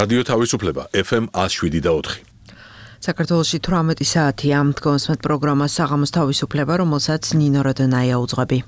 რადიო თავისუფლება FM 107.4. საქართველოში 18 საათია. Დგომსმეთ პროგრამა საღამოს თავისუფლება, რომელსაც ნინო როდონაია უძღვები.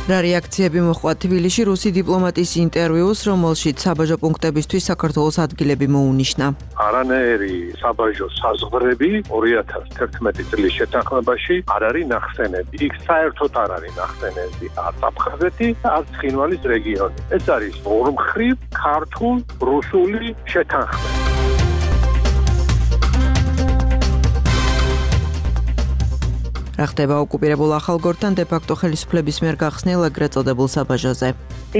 რა რეაქციები მოჰყვა თბილისში რუსი დიპლომატის ინტერვიუს, რომელშიც საბაჟო პუნქტებისთვის საქართველოს ადგილები მოუნიშნა. არანაირი საბაჟო საზღვრები 2011 წლის შეთანხმებაში არ არის ნახსენები. იქ საერთოდ არ არის ნახსენები არც აფხაზეთი, არც ცხინვალის რეგიონი. ეს არის ორმხრივ ქართულ-რუსული შეთანხმება. რა ხდება ოკუპირებულ ახალგორთან დე-ფაქტო ხელისუფლების მიერ გახსნილ ეგრეთ წოდებულ საბაჟოზე.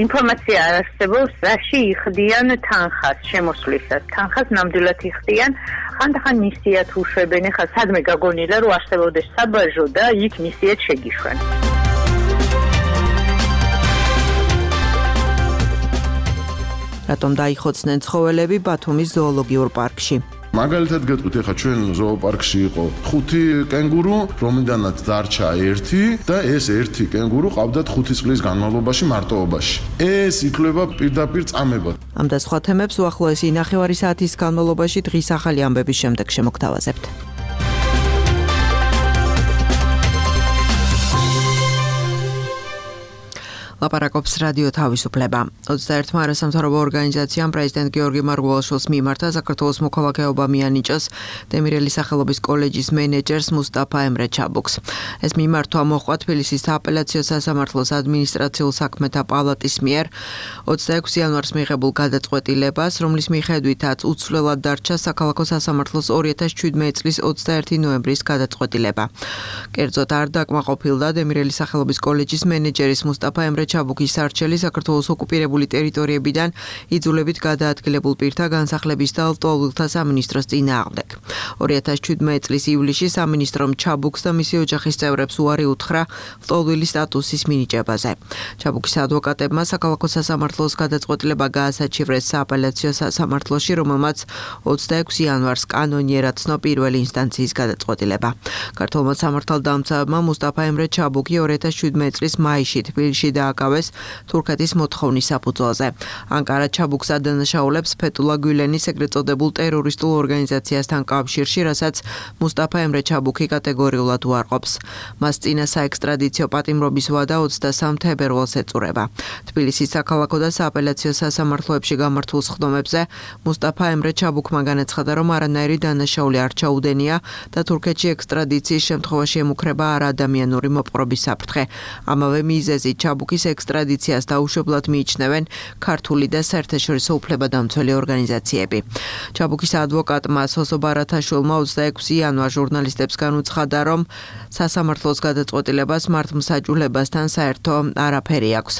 ინფორმაცია არ არსებობს, რაში იხდიან თანხას შემოსვლისას. თანხას ნამდვილად იხდიან, ხანდახან მისიათ უშვებენ, ხა სადმე გაგონილა, რომ არსებობდეს საბაჟო და იქ მისიათ შეგიშვენ. რატომ დაიხოცნენ ცხოველები ბათუმის ზოოლოგიურ პარკში? მაგალითად გეტყვით, ეხლა ჩვენ ზოოპარკში იყო 5 კენგურუ, რომლიდანაც დარჩა 1 და ეს 1 კენგურუ ყავდათ 5 წლის განმავლობაში მარტოობაში. ეს ითვლება პირდაპირ წამებად. ამ და სხვა თემებს უახლოესი 9 საათის განმავლობაში დღის ახალი ამბების შემდეგ შემოგთავაზებთ. ლაპარაკობს რადიო თავისუფლება. 21 არასამთავრობო ორგანიზაციამ პრეზიდენტ გიორგი მარგველაშვილს მიმართა საქართველოს მოქალაქეობა მიანიჭოს დემირელის სახელობის კოლეჯის მენეჯერს მუსტაფა ემრე ჩაბუქს. ეს მიმართვა მოჰყვა თბილისის სააპელაციო სასამართლოს ადმინისტრაციულ საქმეთა პალატის მიერ 26 იანვარს მიღებულ გადაწყვეტილებას, რომლის მიხედვითაც უცვლელად დარჩა საქალაქო სასამართლოს 2017 წლის 21 ნოემბრის გადაწყვეტილება. კერძოდ არ დაკმაყოფილდა დემირელის სახელობის კოლეჯის მენეჯერის მუსტაფა ემრე ჩაბუქის არჩელი საქართველოს ოკუპირებული ტერიტორიებიდან იძულებით გადაადგილებულ პირთა განსახლების და ლტოლვილთა სამინისტროს წინააღმდეგ. 2017 წლის ივლისში სამინისტრომ ჩაბუქს და მისი ოჯახის წევრებს უარი უთხრა ლტოლვილის სტატუსის მინიჭებაზე. ჩაბუქის ადვოკატებმა საქალაქო სასამართლოს გადაწყვეტილება გაასაჩივრეს სააპელაციო სასამართლოში, რომელმაც 26 იანვარს კანონიერად ცნო პირველი ინსტანციის გადაწყვეტილება. ქართველმა სამართალდამცავებმა მუსტაფა ემრე ჩაბუქი 2017 წლის მაისში თბილისში დააკავეს თურქეთის მოთხოვნის საფუძველზე. ანკარა ჩაბუქს ადანაშაულებს ფეთულა გულენის ეგრეთ წოდებულ ტერორისტულ ორგანიზაციასთან კავშირში, რასაც მუსტაფა ემრე ჩაბუქი კატეგორიულად უარყოფს. მას წინა საექსტრადიციო პატიმრობის ვადა 23 თებერვალს ეწურება. თბილისის საქალაქო და სააპელაციო სასამართლოებში გამართულ სხდომებზე მუსტაფა ემრე ჩაბუქმა განაცხადა, რომ არანაირი დანაშაული არ ჩაუდენია და თურქეთში ექსტრადიციის შემთხვევაში ემუქრება არაადამიანური მოპყრობის საფრთხე. ამავე მიზეზით ჩაბუქის ექსტრადიციას დაუშვებლად მიიჩნევენ ქართული და საერთაშორისო უფლებადამცველი ორგანიზაციები. ჩაბუქის ადვოკატმა სოსო ბარათაშვილმა 26 იანვარს ჟურნალისტებს განუცხადა, რომ სასამართლოს გადაწყვეტილებას მართლმსაჯულებასთან საერთო არაფერი აქვს.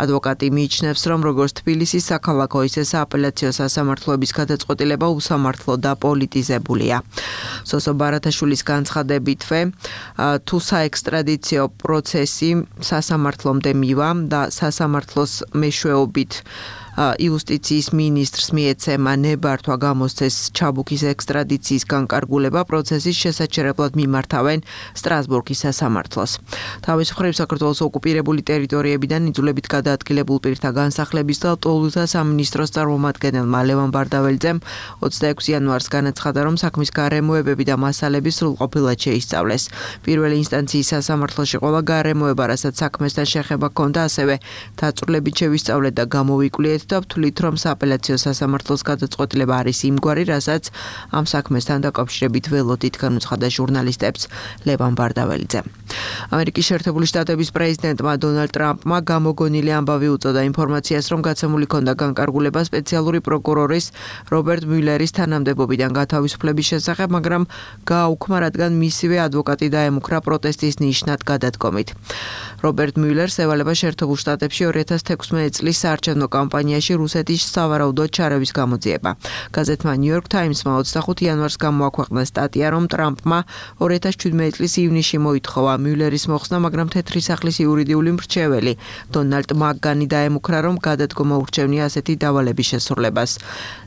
ადვოკატი მიიჩნევს, რომ როგორც თბილისის საქალაქო, ისე სააპელაციო სასამართლოების გადაწყვეტილება უსამართლო და პოლიტიზებულია. სოსო ბარათაშვილის განცხადებითვე, თუ საექსტრადიციო პროცესი სასამართლომდე მივა და სასამართლოს მეშვეობით იუსტიციის მინისტრს მიეცემა ნებართვა გამოსცეს ჩაბუქის ექსტრადიციის განკარგულება, პროცესის შესაჩერებლად მიმართავენ სტრასბურგის სასამართლოს. თავის მხრივ საქართველოს ოკუპირებული ტერიტორიებიდან იძულებით გადაადგილებულ პირთა განსახლების და ლტოლვილთა სამინისტროს წარმომადგენელმა ლევან ბარდაველიძემ 26 იანვარს განაცხადა, რომ საქმის გარემოებები და მასალები სრულყოფილად შეისწავლეს. პირველი ინსტანციის სასამართლოში ყველა გარემოება, რასაც საქმესთან შეხება ჰქონდა, ასევე დაწვრილებით შევისწავლეთ და გამოვიკვლიეთ და ვთვლით, რომ სააპელაციო სასამართლოს გადაწყვეტილება არის იმგვარი, რასაც ამ საქმესთან დაკავშირებით ველოდით, განუცხადა ჟურნალისტებს ლევან ბარდაველიძე. ამერიკის შეერთებული შტატების პრეზიდენტმა დონალდ ტრამპმა გამოგონილი ამბავი უწოდა ინფორმაციას, რომ გაცემული ჰქონდა განკარგულება სპეციალური პროკურორის რობერტ მიულერის თანამდებობიდან გათავისუფლების შესახებ, მაგრამ გააუქმა, რადგან მისივე ადვოკატი დაემუქრა პროტესტის ნიშნად გადადგომით. რობერტ მიულერს ევალება შეერთებულ შტატებში 2016 წლის საარჩევნო კამპანიაში რუსეთის სავარაუდოდ ჩარევის გამოძიება. გაზეთმა New York Times-მა 25 იანვარს გამოაქვეყნა სტატია, რომ ტრამპმა 2017 წლის ივნისში მოითხოვა მიულერის მოხსნა, მაგრამ თეთრი სახლის იურიდიული მრჩეველი დონალდ მაკგანი დაემუქრა, რომ გადადგომა ურჩევნია ასეთი დავალების შესრულებას.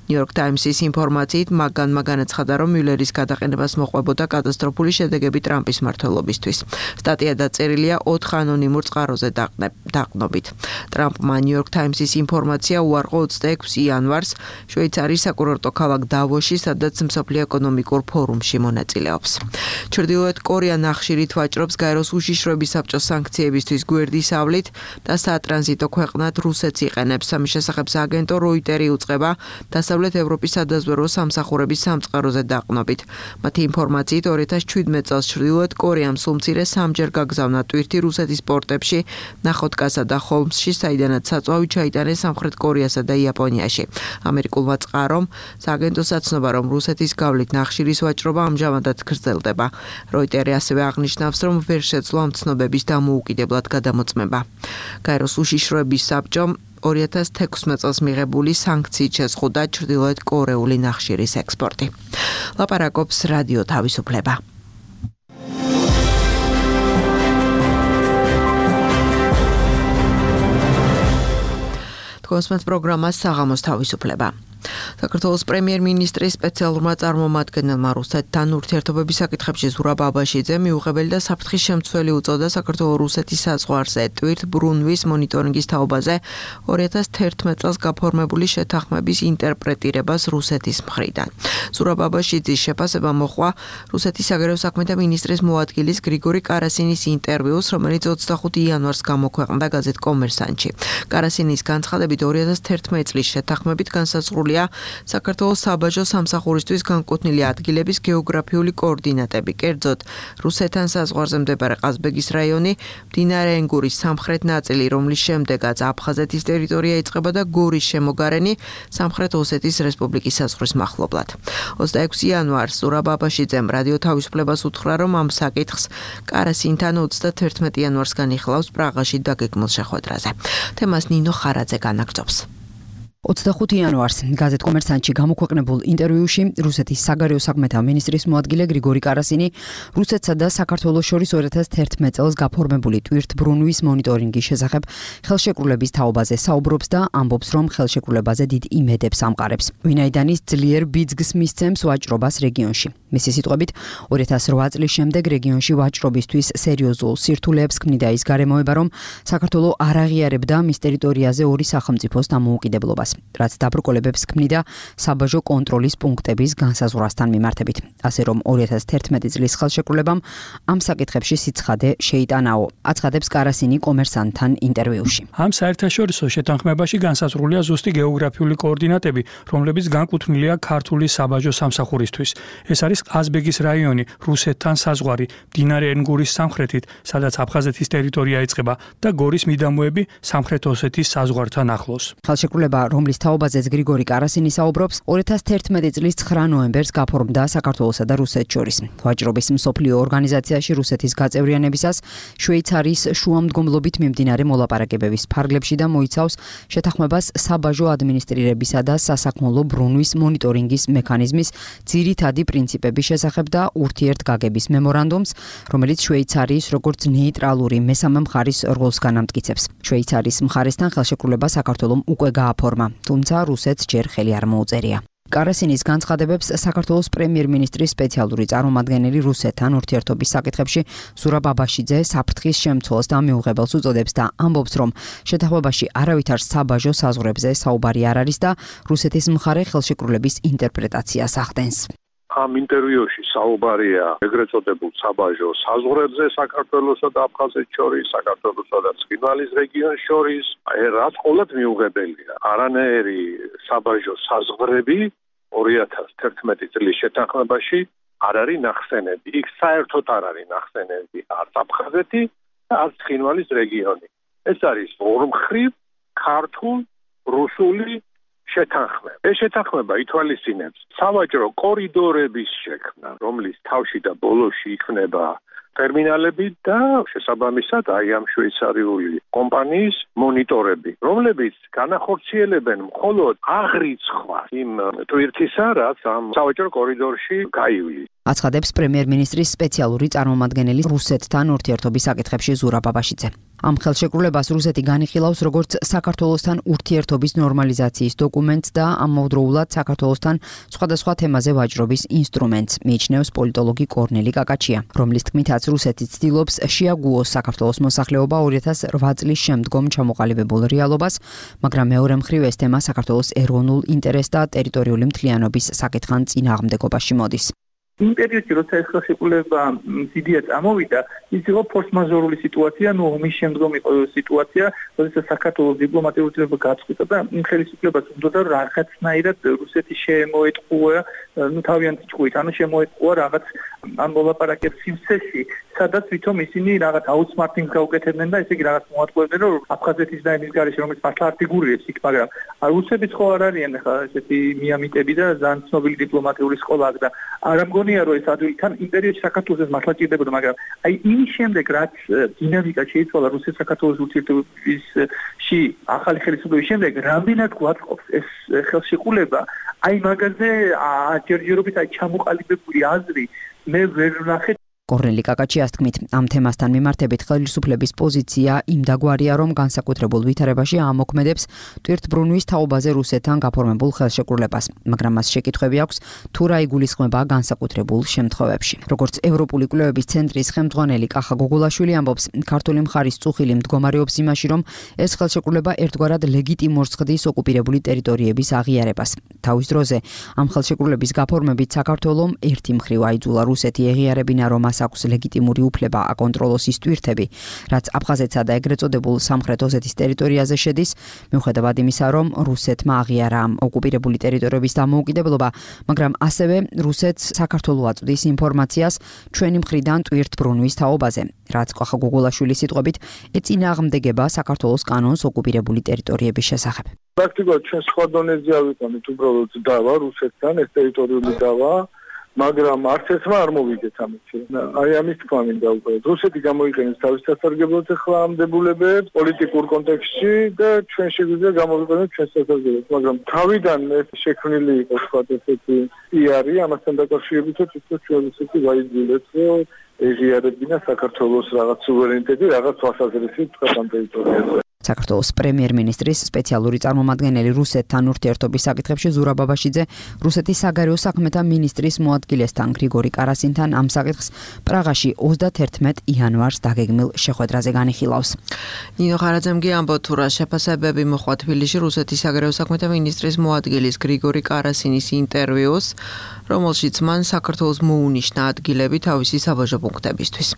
New York Times-ის ინფორმაციით მაგანმა განაცხადა, რომ მიულერის გადაყენებას მოყვებოდა კატასტროფული შედეგები ტრამპის მმართველობისთვის. სტატია დაწერილია 4 ანონიმურ წყაროზე დაყნობით. ტრამპმა New York Times-ის ინფორმაცია უარყო 26 იანვარს შვეიცარიის საკურორტო ქალაქ დავოში, სადაც მსოფლიო ეკონომიკურ ფორუმში მონაწილეობს. ჩრდილოეთ კორეა ნახშირით ვაჭრობს გაეროს უშიშროების საბჭოს სანქციებისთვის გვერდის ავლით და სატრანზიტო ქვეყნად რუსეთს იყენებს. ამის შესახებ სააგენტო Reuters უწყება დასავლეთ ევროპის სადაზვერვო სამსახურების სამწყაროზე დაყნობით. მათი ინფორმაციით 2017 წელს ჩრდილოეთ კორეამ სულ მცირე 3-ჯერ გაგზავნა ტვირთი რუსეთის პორტებში, ნახოდგასა და ჰოლმსში, საიდანაც საწვავი ჩაიტანეს სამხრეთ კორეასა და იაპონიაში. ამერიკულმა წყარომ სააგენტოს აცნობა, რომ რუსეთის გავლით ნახშირის ვაჭრობა ამჟამადაც გრძელდება. Reuters ასევე აღნიშნავს, რომ ვერ შეძლო ამ ცნობების დამოუკიდებლად გადამოწმება. გაეროს უშიშროების საბჭომ 2016 წელს მიღებული სანქციით შეზღუდა ჩრდილოეთ კორეული ნახშირის ექსპორტი. ლაპარაკობს რადიო თავისუფლება. თქვენს პროგრამას საღამოს თავისუფლება. საქართველოს პრემიერ-მინისტრის სპეციალურმა წარმომადგენელმა რუსეთთან ურთიერთობების საკითხებში ზურაბ აბაშიძემ მიუღებელი და საფრთხის შემცველი უწოდა საქართველოს-რუსეთის საზღვარზე ტვირთ ბრუნვის მონიტორინგის თაობაზე 2011 წელს გაფორმებული შეთანხმების ინტერპრეტირებას რუსეთის მხრიდან. ზურაბ აბაშიძის შეფასება მოჰყვა რუსეთის საგარეო საქმეთა მინისტრის მოადგილის გრიგორი კარასინის ინტერვიუს, რომელიც 25 იანვარს გამოქვეყნდა გაზეთ კომერსანტში. კარასინის განცხადებით 2011 წლის შეთანხმებით განსაზღვრულია საქართველოს საბაჟო სამსახურისთვის განკუთვნილი ადგილების გეოგრაფიული კოორდინატები, კერძოდ რუსეთთან საზღვარზე მდებარე ყაზბეგის რაიონი, მდინარე ენგურის სამხრეთ ნაწილი, რომლის შემდეგაც აფხაზეთის ტერიტორია იწყება და გორის შემოგარენი სამხრეთ ოსეთის რესპუბლიკის საზღვრის მახლობლად. 26 იანვარს ზურაბ აბაშიძემ რადიო თავისუფლებას უთხრა, რომ ამ საკითხს კარასინთან 31 იანვარს განიხილავს პრაღაში დაგეგმილ შეხვედრაზე. თემას ნინო ხარაძე განაგრძობს. 25 იანვარს გაზეთ კომერსანტში გამოქვეყნებულ ინტერვიუში რუსეთის საგარეო საქმეთა მინისტრის მოადგილე გრიგორი კარასინი რუსეთსა და საქართველოს შორის 2011 წელს გაფორმებული ტვირთბრუნვის მონიტორინგის შესახებ ხელშეკრულების თაობაზე საუბრობს და ამბობს, რომ ხელშეკრულებაზე დიდ იმედებს ამყარებს. ვინაიდან ის ძლიერ ბიძგს მისცემს ვაჭრობას რეგიონში. მისი სიტყვებით, 2008 წლის შემდეგ რეგიონში ვაჭრობისთვის სერიოზულ სირთულეებს ქმნიდა ის გარემოება, რომ საქართველო არ აღიარებდა მის ტერიტორიაზე ორი სახელმწიფოს დამოუკიდებლობას. რაც დაბრკოლებებს ქმნიდა საბაჟო კონტროლის პუნქტების განსაზღვრასთან მიმართებით. ასე რომ 2011 წლის ხელშეკრულებამ ამ საკითხებში სიცხადე შეიტანაო, აცხადებს კარასინი კომერსანტთან ინტერვიუში. ამ საერთაშორისო შეთანხმებაში განსაზღვრულია ზუსტი გეოგრაფიული კოორდინატები, რომლებიც განკუთვნილია ქართული საბაჟო სამსახურისთვის. ეს არის ყაზბეგის რაიონი, რუსეთთან საზღვარი, მდინარე ენგურის სამხრეთით, სადაც აფხაზეთის ტერიტორია იწყება და გორის მიდამოები სამხრეთ ოსეთის საზღვართან ახლოს. ხელშეკრულება, რომლის თაობაზეც გრიგორი კარასინი საუბრობს, 2011 წლის 9 ნოემბერს გაფორმდა საქართველოსა და რუსეთს შორის. ვაჭრობის მსოფლიო ორგანიზაციაში რუსეთის გაწევრიანებისას შვეიცარიის შუამდგომლობით მიმდინარე მოლაპარაკებების ფარგლებში და მოიცავს შეთანხმებას საბაჟო ადმინისტრირებისა და სასაქონლო ბრუნვის მონიტორინგის მექანიზმის ძირითადი პრინციპების შესახებ და ურთიერთგაგების მემორანდუმს, რომელიც შვეიცარიის როგორც ნეიტრალური მესამე მხარის როლს განამტკიცებს. შვეიცარიის მხარესთან ხელშეკრულება საქართველომ უკვე გააფორმა, თუმცა რუსეთს ჯერ ხელი არ მოუწერია. კარასინის განცხადებებს საქართველოს პრემიერ-მინისტრის სპეციალური წარმომადგენელი რუსეთთან ურთიერთობის საკითხებში ზურაბ აბაშიძე საფრთხის შემცველს და მიუღებელს უწოდებს და ამბობს, რომ შეთანხმებაში არავითარ საბაჟო საზღვრებზე საუბარი არ არის და რუსეთის მხარე ხელშეკრულების ინტერპრეტაციას ახდენს. ამ ინტერვიუში საუბარია ეგრეთ წოდებულ საბაჟო საზღვრებზე საქართველოსა და აფხაზეთს შორის, საქართველოსა და ცხინვალის რეგიონს შორის, რაც ყოველად მიუღებელია. არანაირი საბაჟო საზღვრები 2011 წლის შეთანხმებაში არ არის ნახსენები. იქ საერთოდ არ არის ნახსენები არც აფხაზეთი და არც ცხინვალის რეგიონი. ეს არის ორმხრივ ქართულ რუსული შეთანხმება. ეს შეთანხმება ითვალისწინებს სავაჭრო კორიდორების შექმნა, რომლის თავში და ბოლოში იქნება ტერმინალები და შესაბამისად აი ამ შვეიცარიული კომპანიის მონიტორები, რომლებიც განახორციელებენ მხოლოდ აღრიცხვას იმ ტვირთისა, რაც ამ სავაჭრო კორიდორში გაივლის. აცხადებს პრემიერ-მინისტრის სპეციალური წარმომადგენელი რუსეთთან ურთიერთობის საკითხებში ზურაბ ბაბაშიძე. ამ ხელშეკრულებას რუსეთი განიხილავს როგორც საქართველოსთან ურთიერთობის ნორმალიზაციის დოკუმენტს და ამავდროულად საქართველოსთან სხვადასხვა თემაზე ვაჭრობის ინსტრუმენტს, მიიჩნევს პოლიტოლოგი კორნელი კაკაჩია, რომლის თქმითაც რუსეთი ცდილობს შეაგუოს საქართველოს მოსახლეობა 2008 წლის შემდგომ ჩამოყალიბებულ რეალობას, მაგრამ მეორე მხრივ ეს თემა საქართველოს ეროვნულ ინტერესს და ტერიტორიული მთლიანობის საკითხთან წინააღმდეგობაში მოდის. იმ პერიოდში, როცა ეს ხელშეკრულება მზიდია წამოვიდა, ის იყო ფორს-მაჟორული სიტუაცია, ომის შემდგომ იყო სიტუაცია, როდესაც საქართველოს დიპლომატიური ურთიერთობა გაწყვიტა და იმ ხელისუფლებას უნდა რაღაცნაირად რუსეთი შემოეტყუა, თავიანთი ჭკუით, შემოეტყუა რაღაც ამ მოლაპარაკების სივრცეში, სადაც ვითომ ისინი რაღაც აუთსმარტინგს გაუკეთებდნენ და ესე იგი რაღაც მოატყუებდნენ, რომ აფხაზეთის და იმის გარეშე, რომელიც მართლა არ ფიგურირებს იქ, მაგრამ რუსებიც ხო არ არიან ახლა ესეთი მიამიტები და ძალიან ცნობილი დიპლომატიური სკოლა აქვს და არ ამგონია რომ ეს ადვილთან იმ პერიოდში საქართველოს მართლა ჭირდებოდა, მაგრამ აი იმის შემდეგ რაც დინამიკა შეიცვალა რუსეთ-საქართველოს ურთიერთობებში ახალი ხელისუფლების შემდეგ, რამდენად გვაწყობს ეს ხელშეკრულება, აი მაგაზე ჯერჯერობით აი ჩამოყალიბებული აზრი მე ვერ ვნახე. კორნელი კაკაჩიას თქმით, ამ თემასთან მიმართებით ხელისუფლების პოზიცია იმდაგვარია, რომ განსაკუთრებულ ვითარებაში ამოქმედებს ტვირთბრუნვის თაობაზე რუსეთთან გაფორმებულ ხელშეკრულებას, მაგრამ მას შეკითხვები აქვს, თუ რა იგულისხმება განსაკუთრებულ შემთხვევებში. როგორც ევროპული კვლევების ცენტრის ხელმძღვანელი კახა გოგოლაშვილი ამბობს, ქართული მხარის წუხილი მდგომარეობს იმაში, რომ ეს ხელშეკრულება ერთგვარად ლეგიტიმურს ხდის ოკუპირებული ტერიტორიების აღიარებას. თავის დროზე ამ ხელშეკრულების გაფორმებით საქართველომ ერთი მხრივ აიძულა რუსეთი ეღიარებინა, რომ აქვს ლეგიტიმური უფლება აკონტროლოს ის ტვირთები, რაც აფხაზეთსა და ეგრეთ წოდებულ სამხრეთ ოსეთის ტერიტორიაზე შედის, მიუხედავად იმისა, რომ რუსეთმა აღიარა ოკუპირებული ტერიტორიების დამოუკიდებლობა, მაგრამ ასევე რუსეთს საქართველოს აწვდის ინფორმაციას ჩვენი მხრიდან ტვირთბრუნვის თაობაზე, რაც კახა გოგოლაშვილის სიტყვებით ეწინააღმდეგება საქართველოს კანონს ოკუპირებული ტერიტორიების შესახებ. პრაქტიკულად ჩვენ სხვა დონეზე ავიყვანეთ უბრალოდ დავა რუსეთთან, ეს ტერიტორიული დავა, მაგრამ არც ერთმა არ მოვიგეთ ამაში. აი ამის თქვა მინდა უკვე. რუსეთი გამოიყენებს თავის სასარგებლოდ ახლა ამ დებულებებს პოლიტიკურ კონტექსტში და ჩვენ შეგვიძლია გამოვიყენოთ ჩვენს სასარგებლოდ, მაგრამ თავიდან ეს შექმნილი იყო სხვა ესეთი პიარი ამასთან დაკავშირებით, რომ ჩვენ რუსეთი ვაიძულეთ, რომ ეღიარებინა საქართველოს რაღაც სუვერენიტეტი, რაღაც თვალსაზრისით თქვა ამ ტერიტორიაზე. საქართველოს პრემიერ-მინისტრის სპეციალური წარმომადგენელი რუსეთთან ურთიერთობის საკითხებში ზურაბ ბაბაშიძე რუსეთის საგარეო საქმეთა მინისტრის მოადგილესთან გრიგორი კარასინთან ამ საკითხს პრაღაში 31 იანვარს დაგეგმილ შეხვედრაზე განიხილავს. ნინო ხარაძემ ამბობს, თუ რა შეფასებები მოხდა თბილისში რუსეთის საგარეო საქმეთა მინისტრის მოადგილის გრიგორი კარასინის ინტერვიუს, რომელშიც მან საქართველოს მოუნიშნა ადგილები თავისი საბაჟო პუნქტებისთვის.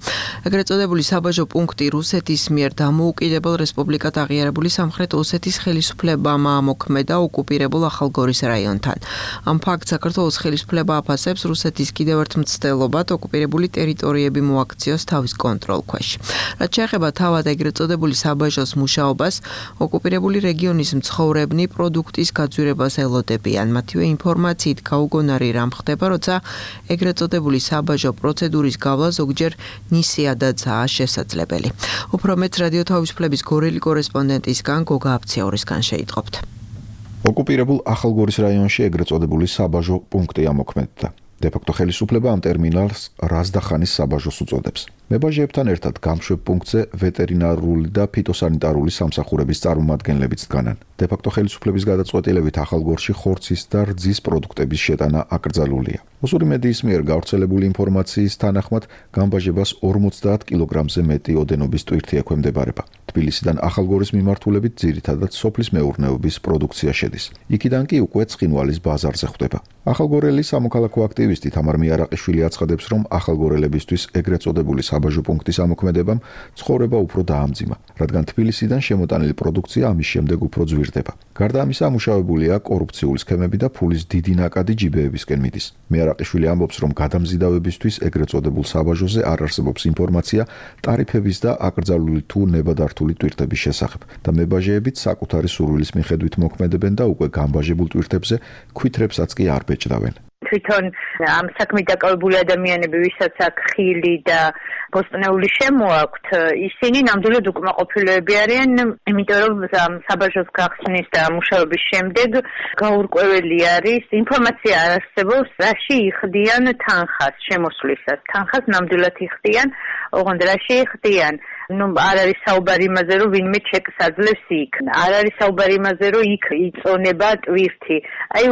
ეგრეთ წოდებული საბაჟო პუნქტი რუსეთის მიერ დამოუკიდებელ რესპუბლიკად აღიარებული სამხრეთ ოსეთის ხელისუფლებამ ამოქმედა ოკუპირებულ ახალგორის რაიონთან. ამ ფაქტს საქართველოს ხელისუფლება აფასებს რუსეთის კიდევ ერთ მცდელობად ოკუპირებული ტერიტორიები მოაქციოს თავის კონტროლქვეშ. რაც შეეხება თავად ეგრეთ წოდებული საბაჟოს მუშაობას, ოკუპირებული რეგიონის მცხოვრებნი პროდუქტის გაძვირებას ელოდებიან. მათივე ინფორმაციით გაუგონარი რამ ხდება, როცა ეგრეთ წოდებული საბაჟო პროცედურის გავლა ზოგჯერ ნისიადაცაა შესაძლებელი. უფრო მეც რადიო თავისუფლების გორელი კორესპონდენტისგან გოგა აფციაურისგან შეიტყობთ. ოკუპირებულ ახალგორის რაიონში ეგრეთ წოდებული საბაჟო პუნქტი ამოქმედდა. დე-ფაქტო ხელისუფლება ამ ტერმინალს რაზდახანის საბაჟოს უწოდებს. მებაჟეებთან ერთად გამშვებ პუნქტზე ვეტერინარული და ფიტოსანიტარული სამსახურების წარმომადგენლებიც დგანან. დე-ფაქტო ხელისუფლების გადაწყვეტილებით ახალგორში ხორცის და რძის პროდუქტების შეტანა აკრძალულია. ოსური მედიის მიერ გავრცელებული ინფორმაციის თანახმად გამბაჟებას 50 კილოგრამზე მეტი ოდენობის ტვირთი ექვემდებარება. თბილისიდან ახალგორის მიმართულებით ძირითადად სოფლის მეურნეობის პროდუქცია შედის. იქიდან კი უკვე ცხინვალის ბაზარზე ხვდება. ახალგორელი სამოქალაქო აქტივისტი თამარ მიარაყიშვილი აცხადებს, რომ ახალგორელებისთვის ეგრეთ წოდებული საბაჟო პუნქტის ამოქმედებამ ცხოვრება უფრო დაამძიმა, რადგან თბილისიდან შემოტანილი პროდუქცია ამის შემდეგ უფრო ძვირდება. გარდა ამისა, ამუშავებულია კორუფციული სქემები და ფულის დიდი ნაკადი ჯიბეებისკენ მიდის. მიარაყიშვილი ამბობს, რომ გადამზიდავებისთვის ეგრეთ წოდებულ საბაჟოზე არ არსებობს ინფორმაცია ტარიფების და აკრძალული თუ ნებადართული ტვირთების შესახებ და მებაჟეებიც საკუთარი სურვილის მიხედვით მოქმედებენ და უკვე გამბაჟებულ ტვირთებზე ქვითრებსაც კი არ ბეჭდავენ. თვითონ ამ საქმით დაკავებული ადამიანები, ვისაც აქვს ხილი და ბოსტნეული შემოაქვთ, ისინი ნამდვილად უკმაყოფილოები არიან, იმიტომ რომ საბაჟოს გახსნის და მუშაობის შემდეგ გაურკვეველი არის, ინფორმაცია არ არსებობს, რაში იხდიან თანხას შემოსვლისას. თანხას ნამდვილად იხდიან, ოღონდ რაში იხდიან? არ არის საუბარი იმაზე, რომ ვინმე ჩეკს აძლევს იქ. არ არის საუბარი იმაზე, რომ იქ იწონება ტვირთი.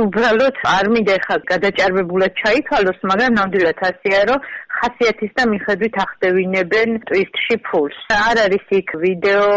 უბრალოდ არ მინდა ხა გადაჭარბებულად ჩაითვალოს, მაგრამ ნამდვილად ასეა, რომ ხასიათის და მიხედვით ახდევინებენ ტვირთში ფულს. არ არის იქ ვიდეო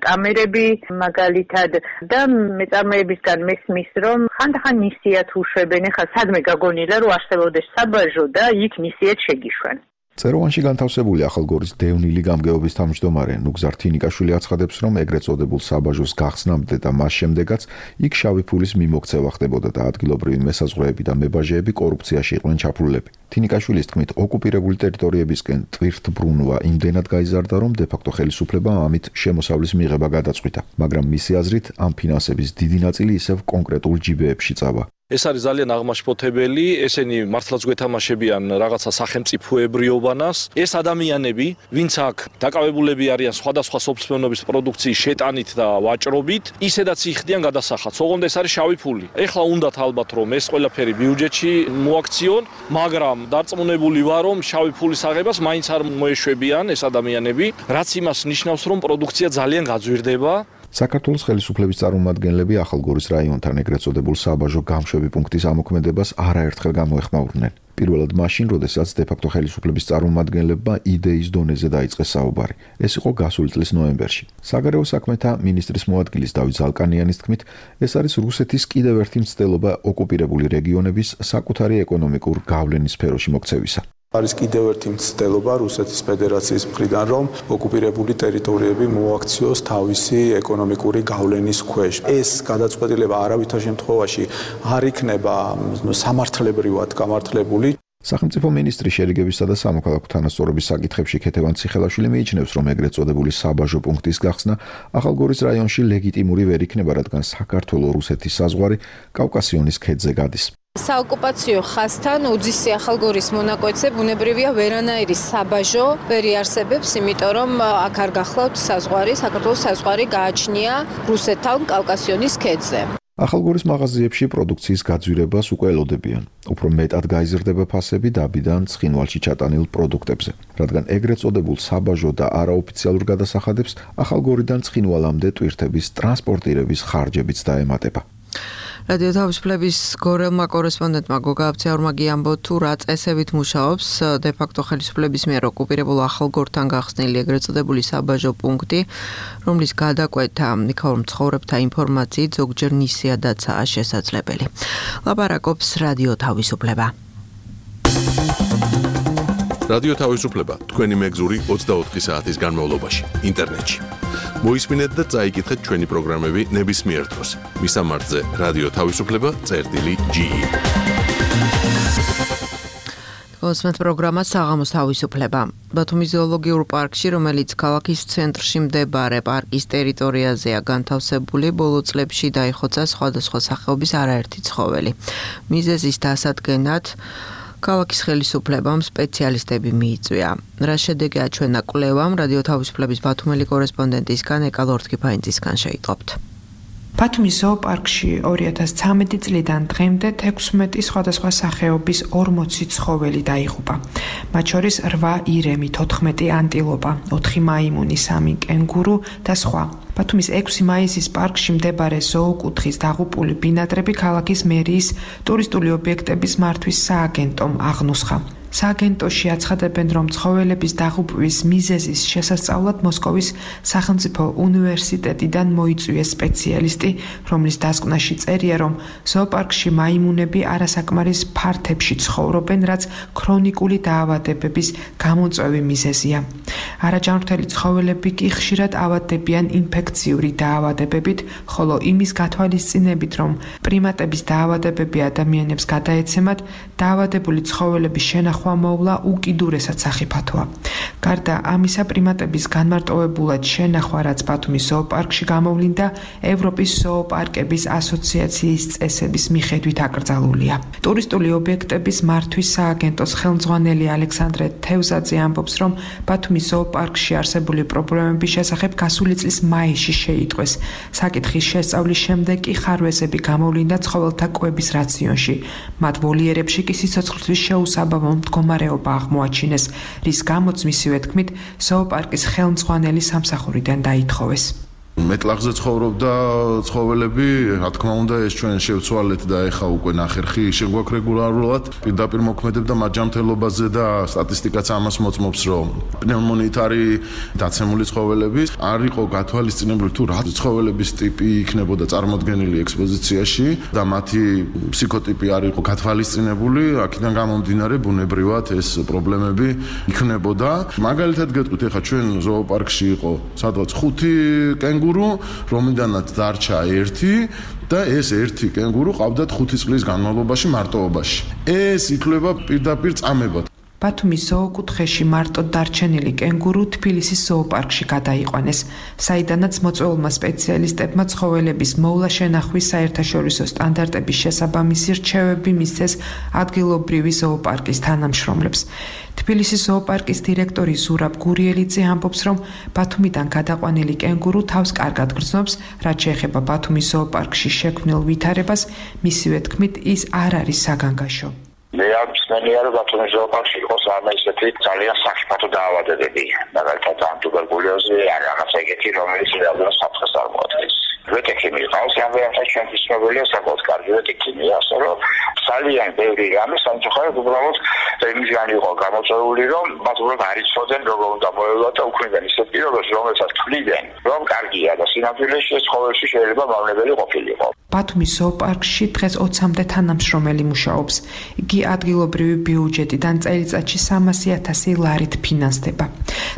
კამერები მაგალითად და მეწარმეებისგან მესმის, რომ ხანდახან მისიათ უშვებენ. ხა სადმე გაგონილა, რომ არსებობდეს საბაჟო და იქ მისიათ შეგიშვენ. წეროვანში განთავსებული ახალგორის დევნილი გამგეობის თავმჯდომარე ნუგზარ თინიკაშვილი აცხადებს, რომ ეგრეთ წოდებულ საბაჟოს გახსნამდე და მას შემდეგაც იქ შავი ფულის მიმოქცევა ხდებოდა და ადგილობრივი მესაზღვრეები და მებაჟეები კორუფციაში იყვნენ ჩაფურულები. თინიკაშვილის თქმით, ოკუპირებული ტერიტორიებისკენ ტვირთბრუნვა იმდენად გაიზარდა, რომ დე-ფაქტო ხელისუფლებამ ამით შემოსავლის მიღება გადაწყვიტა, მაგრამ მისი აზრით, ამ ფინანსების დიდი ნაწილი ისევ კონკრეტულ ჯიბეებში წავა. ეს არის ძალიან აღმაშფოთებელი, ესენი მართლაც გვეთამაშებიან რაღაცა სახელმწიფოებრიობანას. ეს ადამიანები, ვინც აქ დაკავებულები არიან სხვადასხვა სოფლმეურნეობის პროდუქციის შეტანით და ვაჭრობით, ისედაც იხდიან გადასახადს. ოღონდ ეს არის შავი ფული. ეხლა უნდათ ალბათ რომ ეს ყველაფერი ბიუჯეტში მოაქციონ, მაგრამ დარწმუნებული ვარ, რომ შავი ფულის აღებას მაინც არ მოეშვებიან ეს ადამიანები, რაც იმას ნიშნავს, რომ პროდუქცია ძალიან გაძვირდება. საქართველოს ხელისუფლების წარმომადგენლები ახალგორის რაიონთან ეგრეთ წოდებულ საბაჟო გამშვები პუნქტის ამოქმედებას არაერთხელ გამოეხმაურნენ. პირველად მაშინ, როდესაც დე-ფაქტო ხელისუფლების წარმომადგენლებმა იდეის დონეზე დაიწყეს საუბარი. ეს იყო გასული წლის ნოემბერში. საგარეო საქმეთა მინისტრის მოადგილის დავით ზალკანიანის თქმით, ეს არის რუსეთის კიდევ ერთი მცდელობა ოკუპირებული რეგიონების საკუთარი ეკონომიკურ გავლენის სფეროში მოქცევისა. არის კიდევ ერთი მცდელობა რუსეთის ფედერაციის მხრიდან, რომ ოკუპირებული ტერიტორიები მოაქციოს თავისი ეკონომიკური გავლენის ქვეშ. ეს გადაწყვეტილება არავითარ შემთხვევაში არ იქნება სამართლებრივად გამართლებული. სახელმწიფო მინისტრი შერიგებისა და სამოქალაქო თანასწორობის საკითხებში ქეთევან ციხელაშვილი მიიჩნევს, რომ ეგრეთ წოდებული საბაჟო პუნქტის გახსნა ახალგორის რაიონში ლეგიტიმური ვერ იქნება, რადგან საქართველო-რუსეთის საზღვარი კავკასიონის ქედზე გადის. საოკუპაციო ხაზთან უძისი ახალგორის მონაკვეთზე ბუნებრივია ვერანაირი საბაჟო ვერ იარსებებს, იმიტომ რომ აქ არ გახლავთ საზღვარი, საქართველოს საზღვარი გააჩნია რუსეთთან კავკასიონის ქედზე. ახალგორის მაღაზიებში პროდუქციის გაძვირებას უკვე ელოდებიან. უფრო მეტად გაიზრდება ფასები დაბიდან ცხინვალში ჩატანილ პროდუქტებზე, რადგან ეგრეთ წოდებულ საბაჟო და არაოფიციალურ გადასახადებს ახალგორიდან ცხინვალამდე ტვირთების ტრანსპორტირების ხარჯებიც დაემატება. რადიო თავისუფლების გორელმა კორესპონდენტმა გოგა აბცეურმა გიამბო თუ რა წესებით მუშაობს დე-ფაქტო ხელისუფლების მიერ ოკუპირებულ ახალგორთან გახსნილი ეგრეთ წოდებული საბაჟო პუნქტი, რომლის გადაკვეთა იქაურ მცხოვრებთა ინფორმაციით ზოგჯერ ნისიადაცაა შესაძლებელი. ლაპარაკობს რადიო თავისუფლება. რადიო თავისუფლება თქვენი მეგზური 24 საათის განმავლობაში ინტერნეტში. მოისმინეთ და წაიკითხეთ ჩვენი პროგრამები ნებისმიერ დროს. მისამართზე რადიო თავისუფლება.ge. გოსმეთ პროგრამა საღამოს თავისუფლება. ბათუმის ზოოლოგიურ პარკში, რომელიც ქალაქის ცენტრში მდებარე პარკის ტერიტორიაზეა განთავსებული, ბოლო წლებში დაიხოცა სხვადასხვა სახეობის არაერთი ცხოველი. მიზეზის დასადგენად ქალაქის ხელისუფლებამ სპეციალისტები მიიწვია. რა შედეგი აჩვენა კვლევამ, რადიო თავისუფლების ბათუმელი კორესპონდენტისგან ეკა ლორთქიფაინძისგან შეიტყობთ. ბათუმის ზოოპარკში 2013 წლიდან დღემდე 16 სხვადასხვა სახეობის 40 ცხოველი დაიღუპა. მათ შორის 8 ირემი, 14 ანტილოპა, 4 მაიმუნი, 3 კენგურუ და სხვა. ბათუმის 6 მაისის პარკში მდებარე ზოოკუთხის დაღუპული ბინადრები ქალაქის მერიის ტურისტული ობიექტების მართვის სააგენტომ აღნუსხა. სააგენტოში აცხადებენ, რომ ცხოველების დაღუპვის მიზეზის შესასწავლად მოსკოვის სახელმწიფო უნივერსიტეტიდან მოიწვიეს სპეციალისტი, რომლის დასკვნაში წერია, რომ ზოოპარკში მაიმუნები არასაკმარის ფართებში ცხოვრობენ, რაც ქრონიკული დაავადებების გამომწვევი მიზეზია. არაჯანმრთელი ცხოველები კი ხშირად ავადდებიან ინფექციური დაავადებებით, ხოლო იმის გათვალისწინებით, რომ პრიმატების დაავადებები ადამიანებს გადაეცემათ, დაავადებული ცხოველების შენახვა გადახვა მოვლა უკიდურესად სახიფათოა. გარდა ამისა, პრიმატების განმარტოვებულად შენახვა, რაც ბათუმის ზოოპარკში გამოვლინდა, ევროპის ზოოპარკების ასოციაციის წესების მიხედვით აკრძალულია. ტურისტული ობიექტების მართვის სააგენტოს ხელმძღვანელი ალექსანდრე თევზაძე ამბობს, რომ ბათუმის ზოოპარკში არსებული პრობლემების შესახებ გასული წლის მაისში შეიტყვეს. საკითხის შესწავლის შემდეგ კი ხარვეზები გამოვლინდა ცხოველთა კვების რაციონში. მათ ვოლიერებში კი სიცოცხლისთვის შეუსაბამო მდგომარეობა აღმოაჩინეს, რის გამოც მისივე თქმით, ზოოპარკის ხელმძღვანელი სამსახურიდან დაითხოვეს. მეტლახზე ცხოვრობდა ცხოველები, რა თქმა უნდა, ეს ჩვენ შევცვალეთ და ეხა უკვე ნახერხი შეგვაქვს რეგულარულად. პირდაპირ მოქმედებდა მაჯამთელობაზე და სტატისტიკაც ამას მოწმობს, რომ პნევმონიით არის დაცემული ცხოველები. არ იყო გათვალისწინებული თუ რა ცხოველების ტიპი იქნებოდა წარმოდგენილი ექსპოზიციაში და მათი ფსიქოტიპი არ იყო გათვალისწინებული, აქედან გამომდინარე ბუნებრივად ეს პრობლემები იქნებოდა. მაგალითად გეტყვით, ეხა ჩვენ ზოოპარკში იყო სადღაც 5 კენგურუ, რომლიდანაც დარჩა 1 და ეს 1 კენგურუ ყავდათ 5 წლის განმავლობაში მარტოობაში. ეს ითვლება პირდაპირ წამებად. ბათუმის ზოოკუთხეში მარტო დარჩენილი კენგურუ თბილისის ზოოპარკში გადაიყვანეს, საიდანაც მოწვეულმა სპეციალისტებმა ცხოველების მოვლა-შენახვის საერთაშორისო სტანდარტების შესაბამისი რჩევები მისცეს ადგილობრივი ზოოპარკის თანამშრომლებს. თბილისის ზოოპარკის დირექტორი ზურაბ გურიელიძე ამბობს, რომ ბათუმიდან გადაყვანილი კენგურუ თავს კარგად გრძნობს, რაც შეეხება ბათუმის ზოოპარკში შექმნილ ვითარებას, მისივე თქმით, ის არ არის საგანგაშო. მე არ მსმენია, რომ ბათუმის ზოოპარკში იყოს არამე ისეთი ძალიან სახიფათო დაავადებები, მაგალითად ტუბერკულოზი, ან რაღაც ეგეთი, რომელიც რეალურად საფრთხეს წარმოადგენს. ვეტექიმი ყავს, ამერათა ჩვენთვის ცნობილია საკმაოდ კარგი ვეტექიმია, ასე რომ ძალიან ბევრი რამე სამწუხაროდ უბრალოდ იმისგან იყო გამოწვეული, რომ მათ უბრალოდ არ იცოდნენ როგორ უნდა მოევლათ და უქმნიდან ისეთ პირობებში, რომელსაც თვლიდნენ, რომ კარგია და სინამდვილეში ეს ცხოველში შეიძლება მავნებელი ყოფილიყო. ბათუმის ზოოპარკში დღეს 20-მდე თანამშრომელი მუშაობს. იგი ადგილობრივი ბიუჯეტიდან წელიწადში 300,000 ლარით ფინანსდება.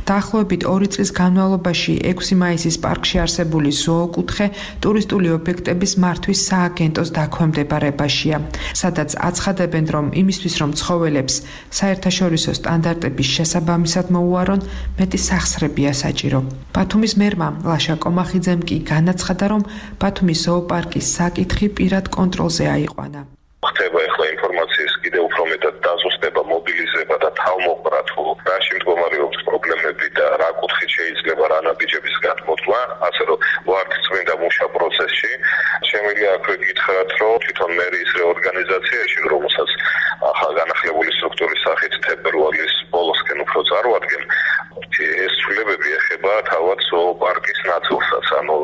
დაახლოებით 2 წლის განმავლობაში 6 მაისის პარკში არსებული ზოოკუთხე ტურისტული ობიექტების მართვის სააგენტოს დაქვემდებარებაშია, სადაც აცხადებენ, რომ იმისთვის, რომ ცხოველებს საერთაშორისო სტანდარტების შესაბამისად მოუარონ, მეტი სახსრებია საჭირო. ბათუმის მერმა ლაშა კომახიძემ კი განაცხადა, რომ ბათუმის ზოოპარკის საკითხი პირად კონტროლზე აიყვანა. ხდება ახლა ინფორმაციის კიდევ უფრო მეტად დაზუსტება, მობილიზება და თავმოყრა თუ რაში მდგომარეობს პრობლემები და რა კუთხით შეიძლება რა ნაბიჯების გადმოწვა, ასე რომ ვართ წმინდა მუშა პროცესში. შემიძლია აქვე გითხრათ, რომ თვითონ მერის რეორგანიზაციაში, რომელსაც ახალ განახლებული სტრუქტურის სახით თებერვალის ბოლოსკენ უფრო წარვადგენ, ეს ცვლილებები ეხება თავად ზოოპარკის ნაწილსაც, ანუ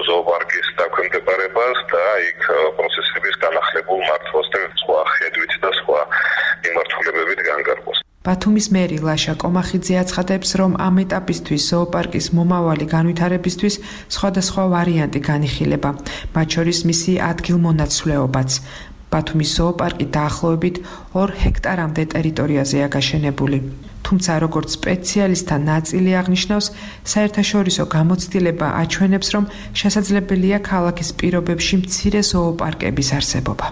ზოოპარკის დაქვემდებარებას და იქ პროცესების განახლებულ მართვას და სხვა ხედვით და სხვა მიმართულებებით განკარგვას. ბათუმის მერი ლაშა კომახიძე აცხადებს, რომ ამ ეტაპისთვის ზოოპარკის მომავალი განვითარებისთვის სხვადასხვა ვარიანტი განიხილება, მათ შორის მისი ადგილმონაცვლეობაც. ბათუმის ზოოპარკი დაახლოებით 2 ჰექტარამდე ტერიტორიაზეა გაშენებული. თუმცა როგორც სპეციალისტთა ნაწილი აღნიშნავს, საერთაშორისო გამოცდილება აჩვენებს, რომ შესაძლებელია ქალაქის პირობებში მცირე ზოოპარკების არსებობა.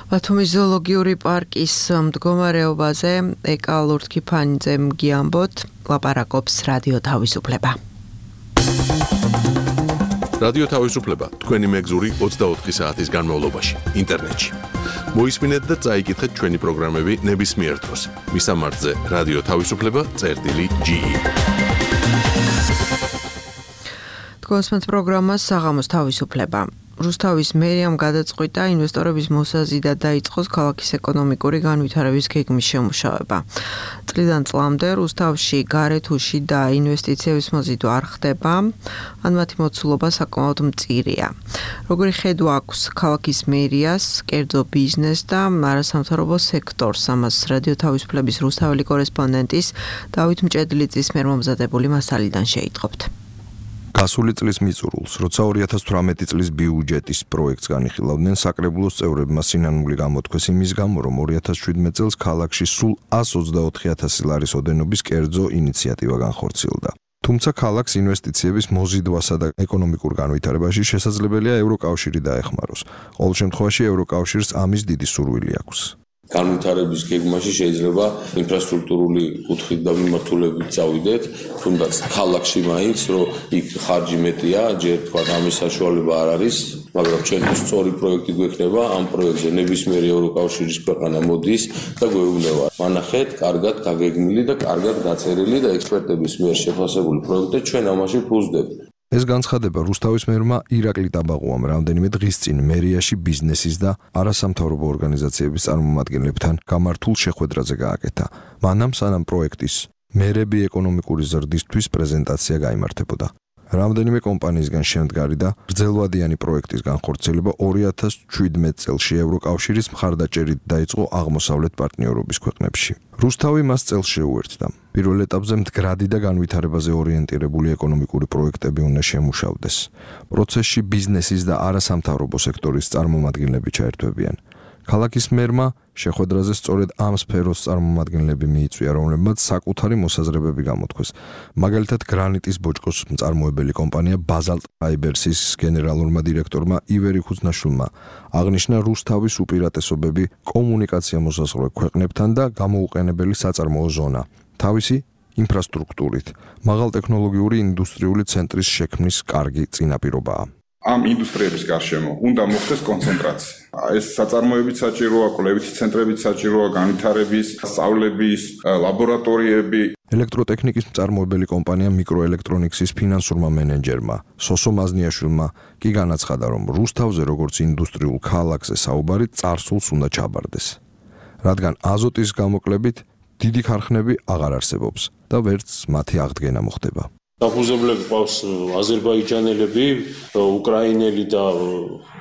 ბათუმის ზოოლოგიური პარკის მდგომარეობაზე ეკა ლურთქიფანიძემ გიამბოთ, ლაპარაკობს რადიო თავისუფლება. რადიო თავისუფლება თქვენი მეგზური 24 საათის განმავლობაში ინტერნეტში. მოისმინეთ და წაიკითხეთ ჩვენი პროგრამები ნებისმიერ დროს. მისამართზე რადიო თავისუფლება.ge. თქვენს პროგრამას საღამოს თავისუფლება. რუსთავის მერიამ გადაწყვიტა ინვესტორების მოსაზიდად დაიწყოს ქალაქის ეკონომიკური განვითარების გეგმის შემუშავება. წლიდან წლამდე რუსთავში გარეთუში და ინვესტიციების მოზიდვა არ ხდება, ან მათი მოცულობა საკმაოდ მწირია. როგორი ხედვა აქვს ქალაქის მერიას, კერძო ბიზნეს და არასამთავრობო სექტორს, ამას რადიო თავისუფლების რუსთაველი კორესპონდენტის დავით მჭედლიძის მიერ მომზადებული მასალიდან შეიტყობთ. გასული წლის მიწურულს, როცა 2018 წლის ბიუჯეტის პროექტს განიხილავდნენ, საკრებულოს წევრებმა სინანული გამოთქვეს იმის გამო, რომ 2017 წელს ქალაქში სულ 124,000 ლარის ოდენობის კერძო ინიციატივა განხორციელდა. თუმცა ქალაქს ინვესტიციების მოზიდვასა და ეკონომიკურ განვითარებაში შესაძლებელია ევროკავშირი დაეხმაროს. ყოველ შემთხვევაში ევროკავშირს ამის დიდი სურვილი აქვს. განვითარების გეგმაში შეიძლება ინფრასტრუქტურული კუთხით და მიმართულებით წავიდეთ, თუნდაც ქალაქში მაინც, რომ იქ ხარჯი მეტია, ჯერ თქვა ამის საშუალება არ არის, მაგრამ ჩვენთვის სწორი პროექტი გვექნება, ამ პროექტზე ნებისმიერი ევროკავშირის ქვეყანა მოდის და გვეუბნება. მანახეთ, კარგად გაგეგმილი და კარგად გაწერილი და ექსპერტების მიერ შეფასებული პროექტი ჩვენ ამაში ფუძდებთ. ეს განცხადება რუსთავის მერმა ირაკლი ტაბაღუამ რამდენიმე დღის წინ მერიაში ბიზნესის და არასამთავრობო ორგანიზაციების წარმომადგენლებთან გამართულ შეხვედრაზე გააკეთა. მანამ სანამ პროექტის მერები ეკონომიკური ზრდისთვის პრეზენტაცია გაიმართებოდა. რამდენიმე კომპანიისგან შემდგარი და გრძელვადიანი პროექტის განხორციელება 2017 წელს ევროკავშირის მხარდაჭერით დაიწყო აღმოსავლეთ პარტნიორობის ქვეყნებში. რუსთავი მას წელს შეუერთდა. პირველ ეტაპზე მდგრადი და განვითარებაზე ორიენტირებული ეკონომიკური პროექტები უნდა შემუშავდეს. პროცესში ბიზნესის და არასამთავრობო სექტორის წარმომადგენლები ჩაერთვებიან. ქალაქის მერმა შეხვედრაზე სწორედ ამ სფეროს წარმომადგენლები მიიწვია, რომლებმაც საკუთარი მოსაზრებები გამოთქვეს. მაგალითად, გრანიტის ბოჭკოს მწარმოებელი კომპანია Basalt Fibers-ის გენერალურმა დირექტორმა ივერი ხუცნაშვილმა აღნიშნა რუსთავის უპირატესობები კომუნიკაცია მოსაზღვრე ქვეყნებთან და გამოუყენებელი საწარმოო ზონა. თავისი ინფრასტრუქტურით, მაღალტექნოლოგიური ინდუსტრიული ცენტრის შექმნის კარგი წინაპირობაა. ამ ინდუსტრიების გარშემო უნდა მოხდეს კონცენტრაცია. ეს საწარმოებიც საჭიროა, კვლევითი ცენტრებიც საჭიროა, განვითარების, სწავლების, ლაბორატორიები. ელექტროტექნიკის მწარმოებელი კომპანია მიკროელექტრონიქსის ფინანსურმა მენეჯერმა სოსო მაზნიაშვილმა კი განაცხადა, რომ რუსთავზე როგორც ინდუსტრიულ ქალაქზე საუბარი წარსულს უნდა ჩაბარდეს. რადგან აზოტის გამოკლებით დიდი ქარხნები აღარ არსებობს და ვერც მათი აღდგენა მოხდება. დაფუძნებლები ყავს აზერბაიჯანელები, უკრაინელი და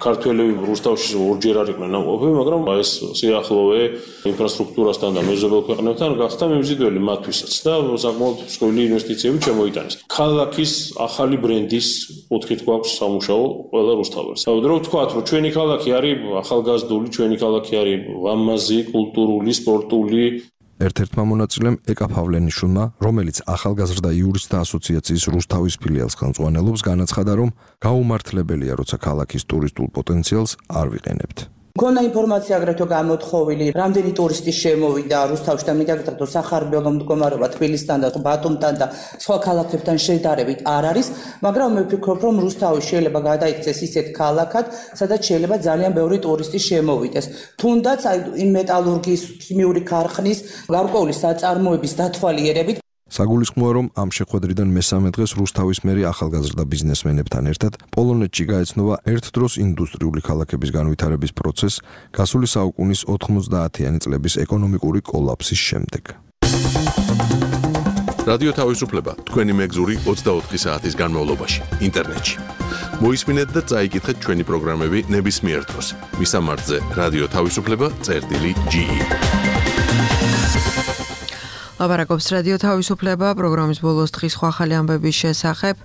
ქართველები რუსთავში ორჯერ არ იყვნენ ამყოფები, მაგრამ ეს სიახლოვე ინფრასტრუქტურასთან და მეზობელ ქვეყნებთან გახდა მიმზიდველი მათთვისაც და საკმაოდ მსხვილი ინვესტიციები შემოიტანეს. ქალაქის ახალი ბრენდის კუთხით გვაქვს სამუშაო ყველა რუსთაველს. რო ვთქვათ, რომ ჩვენი ქალაქი არის ახალგაზრდული, ჩვენი ქალაქი არის ლამაზი, კულტურული, სპორტული. ერთ-ერთმა მონაწილემ ეკა ფავლენიშვილმა, რომელიც ახალგაზრდა იურისტთა ასოციაციის რუსთავის ფილიალს ხელმძღვანელობს, განაცხადა, რომ გაუმართლებელია, როცა ქალაქის ტურისტულ პოტენციალს არ ვიყენებთ. მქონდა ინფორმაცია აგრეთვე გამოთხოვილი, რამდენი ტურისტი შემოვიდა რუსთავში და მიგაგრძელო სახარბელო მდგომარეობა თბილისთან და ბათუმთან და სხვა ქალაქებთან შედარებით არ არის, მაგრამ მე ვფიქრობ, რომ რუსთავი შეიძლება გადაიქცეს ისეთ ქალაქად, სადაც შეიძლება ძალიან ბევრი ტურისტი შემოვიდეს. თუნდაც აი მეტალურგიის, ქიმიური ქარხნის, გარკვეული საწარმოების დათვალიერებით საგულისხმოა, რომ ამ შეხვედრიდან მესამე დღეს რუსთავის მერი ახალგაზრდა ბიზნესმენებთან ერთად პოლონეთში გაეცნობა ერთდროს ინდუსტრიული ქალაქების განვითარების პროცესს გასული საუკუნის 90-იანი წლების ეკონომიკური კოლაფსის შემდეგ. რადიო თავისუფლება თქვენი მეგზური 24 საათის განმავლობაში ინტერნეტში. მოისმინეთ და წაიკითხეთ ჩვენი პროგრამები ნებისმიერ დროს. მისამართზე რადიო თავისუფლება.ge ლაპარაკობს რადიო თავისუფლება პროგრამის ბოლოს დღის სხვა ახალი ამბების შესახებ.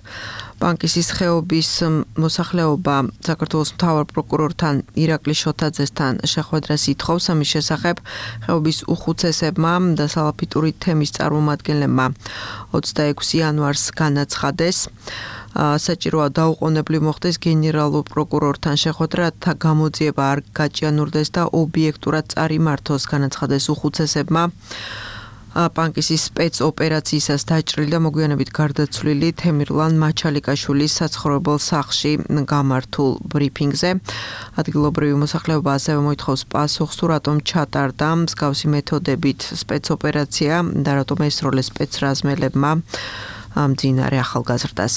ბანკის ხეობის მოსახლეობა საქართველოს მთავარ პროკურორთან ირაკლი შოთაძესთან შეხვედრას ითხოვს. ამის შესახებ ხეობის უხუცესებმა და სალაფიტური თემის წარმომადგენლებმა 26 იანვარს განაცხადეს. საჭიროა დაუყოვნებლივ მოხდეს გენერალურ პროკურორთან შეხვედრა, რათა გამოძიება არ გაჭიანურდეს და ობიექტურად წარიმართოს, განაცხადეს უხუცესებმა. ბანკის სპეცოპერაციისას დაჭრილი და მოგვიანებით გარდაცვლილი თემირლან მაჩალიკაშვილის საცხოვრებელ სახლში გამართულ ბრიფინგზე. ადგილობრივი მოსახლეობა ასევე მოითხოვს პასუხს, თუ რატომ ჩატარდა მსგავსი მეთოდებით სპეცოპერაცია და რატომ ესროლეს სპეცრაზმელებმა მძინარე ახალგაზრდას.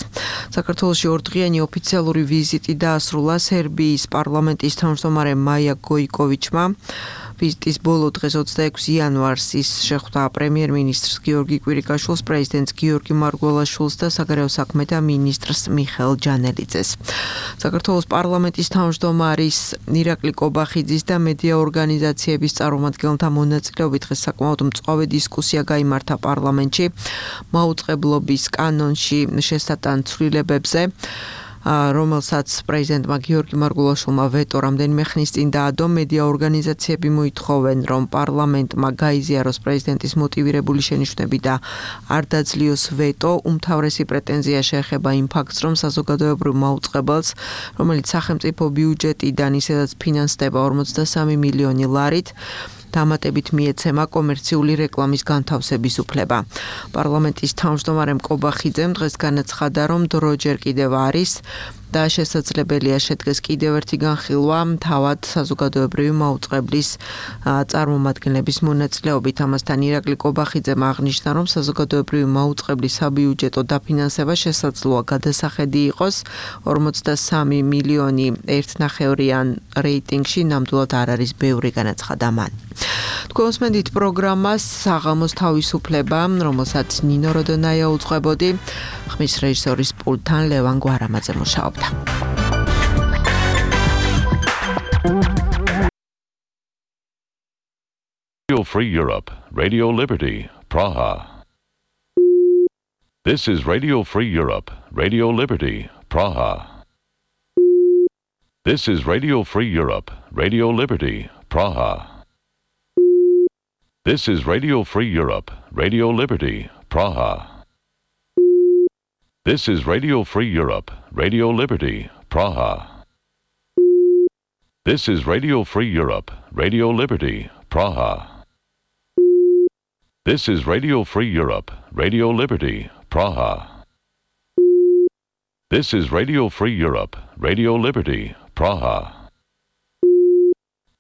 საქართველოში ორდღიანი ოფიციალური ვიზიტი დაასრულა სერბიის პარლამენტის თავმჯდომარე მაია გოიკოვიჩმა. ვიზიტის ბოლო დღეს 26 იანვარს ის შეხვდა პრემიერ-მინისტრს გიორგი კვირიკაშვილს, პრეზიდენტს გიორგი მარგველაშვილს და საგარეო საქმეთა მინისტრს მიხეილ ჯანელიძეს. საქართველოს პარლამენტის თავმჯდომარის ირაკლი კობახიძის და მედია ორგანიზაციების წარმომადგენელთა მონაწილეობით დღეს საკმაოდ მწვავე დისკუსია გაიმართა პარლამენტში მაუწყებლობის კანონში შესატან ცვლილებებზე, რომელსაც პრეზიდენტმა გიორგი მარგველაშვილმა ვეტო რამდენიმე ხნის წინ დაადო. მედია ორგანიზაციები მოითხოვენ, რომ პარლამენტმა გაიზიაროს პრეზიდენტის მოტივირებული შენიშვნები და არ დაძლიოს ვეტო. უმთავრესი პრეტენზია შეეხება იმ ფაქტს, რომ საზოგადოებრივ მაუწყებელს, რომელიც სახელმწიფო ბიუჯეტიდან ისედაც ფინანსდება 43 მილიონი ლარით, დამატებით მიეცემა კომერციული რეკლამის განთავსების უფლება. პარლამენტის თავმჯდომარემ კობახიძემ დღეს განაცხადა, რომ დრო ჯერ კიდევ არის და შესაძლებელია შედგეს კიდევ ერთი განხილვა თავად საზოგადოებრივი მაუწყებლის წარმომადგენლების მონაწილეობით. ამასთან ირაკლი კობახიძემ აღნიშნა, რომ საზოგადოებრივი მაუწყებლის საბიუჯეტო დაფინანსება შესაძლოა გადასახედი იყოს 43 მილიონი 1.5-იან რეიტინგში, ნამდვილად არ არის ბევრი, განაცხადა მან. თქვენ უსმენთ პროგრამას საღამოს თავისუფლება, რომელსაც ნინო როდონაია უძღვებოდი, ხმის რეჟისორის პულტთან ლევან გვარამაძე მუშაობდა. Radio Free Europe, Radio Liberty, Praha. This is Radio Free Europe, Radio Liberty, Praha. This is Radio Free Europe, Radio Liberty, Praha. This is Radio Free Europe, Radio Liberty, Praha. This is Radio Free Europe, Radio Liberty, Praha. This is Radio Free Europe, Radio Liberty, Praha. This is Radio Free Europe, Radio Liberty, Praha. This is Radio Free Europe, Radio Liberty, Praha.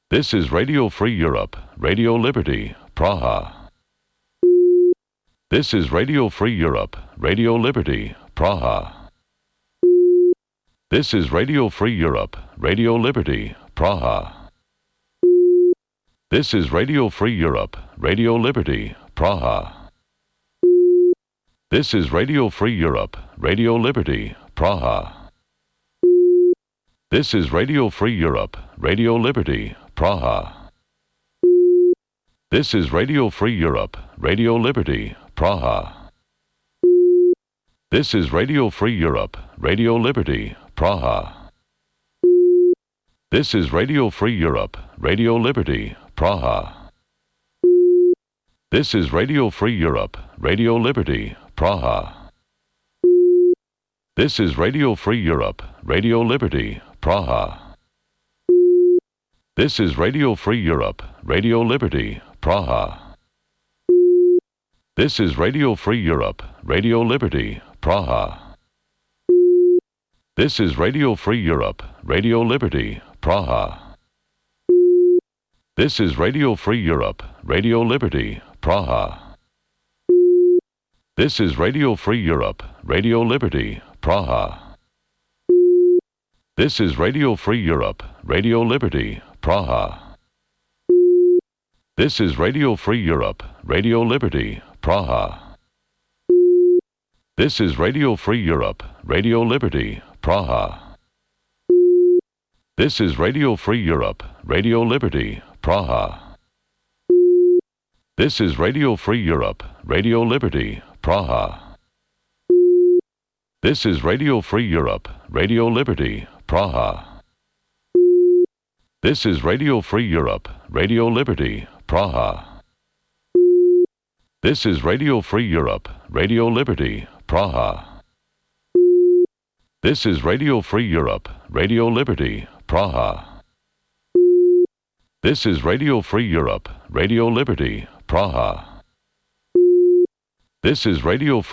This is Radio Free Europe, Radio Liberty, Praha. This is Radio Free Europe, Radio Liberty, Praha. This is Radio Free Europe, Radio Liberty, Praha. This is Radio Free Europe, Radio Liberty, Praha. This is Radio Free Europe, Radio Liberty, Praha. This is Radio Free Europe, Radio Liberty, Praha. This is Radio Free Europe, Radio Liberty, Praha. This is Radio Free Europe, Radio Liberty, Praha. This is Radio Free Europe, Radio Liberty, Praha. This is Radio Free Europe, Radio Liberty, Praha. This is Radio Free Europe, Radio Liberty, Praha. This is Radio Free Europe, Radio Liberty, Praha. This is Radio Free Europe, Radio Liberty, Praha. This is Radio Free Europe, Radio Liberty, Praha. This is Radio Free Europe, Radio Liberty, Praha. This is Radio Free Europe, Radio Liberty, Praha. This is Radio Free Europe, Radio Liberty, Praha. This is Radio Free Europe, Radio Liberty, Praha. This is Radio Free Europe, Radio Liberty, Praha. This is Radio Free Europe, Radio Liberty, Praha. This is Radio Free Europe, Radio Liberty, Praha. This is Radio Free Europe, Radio Liberty, Praha. This is Radio Free Europe, Radio Liberty, Praha. This is Radio Free Europe, Radio Liberty, Praha. This is Radio Free Europe, Radio Liberty, Praha. This is Radio Free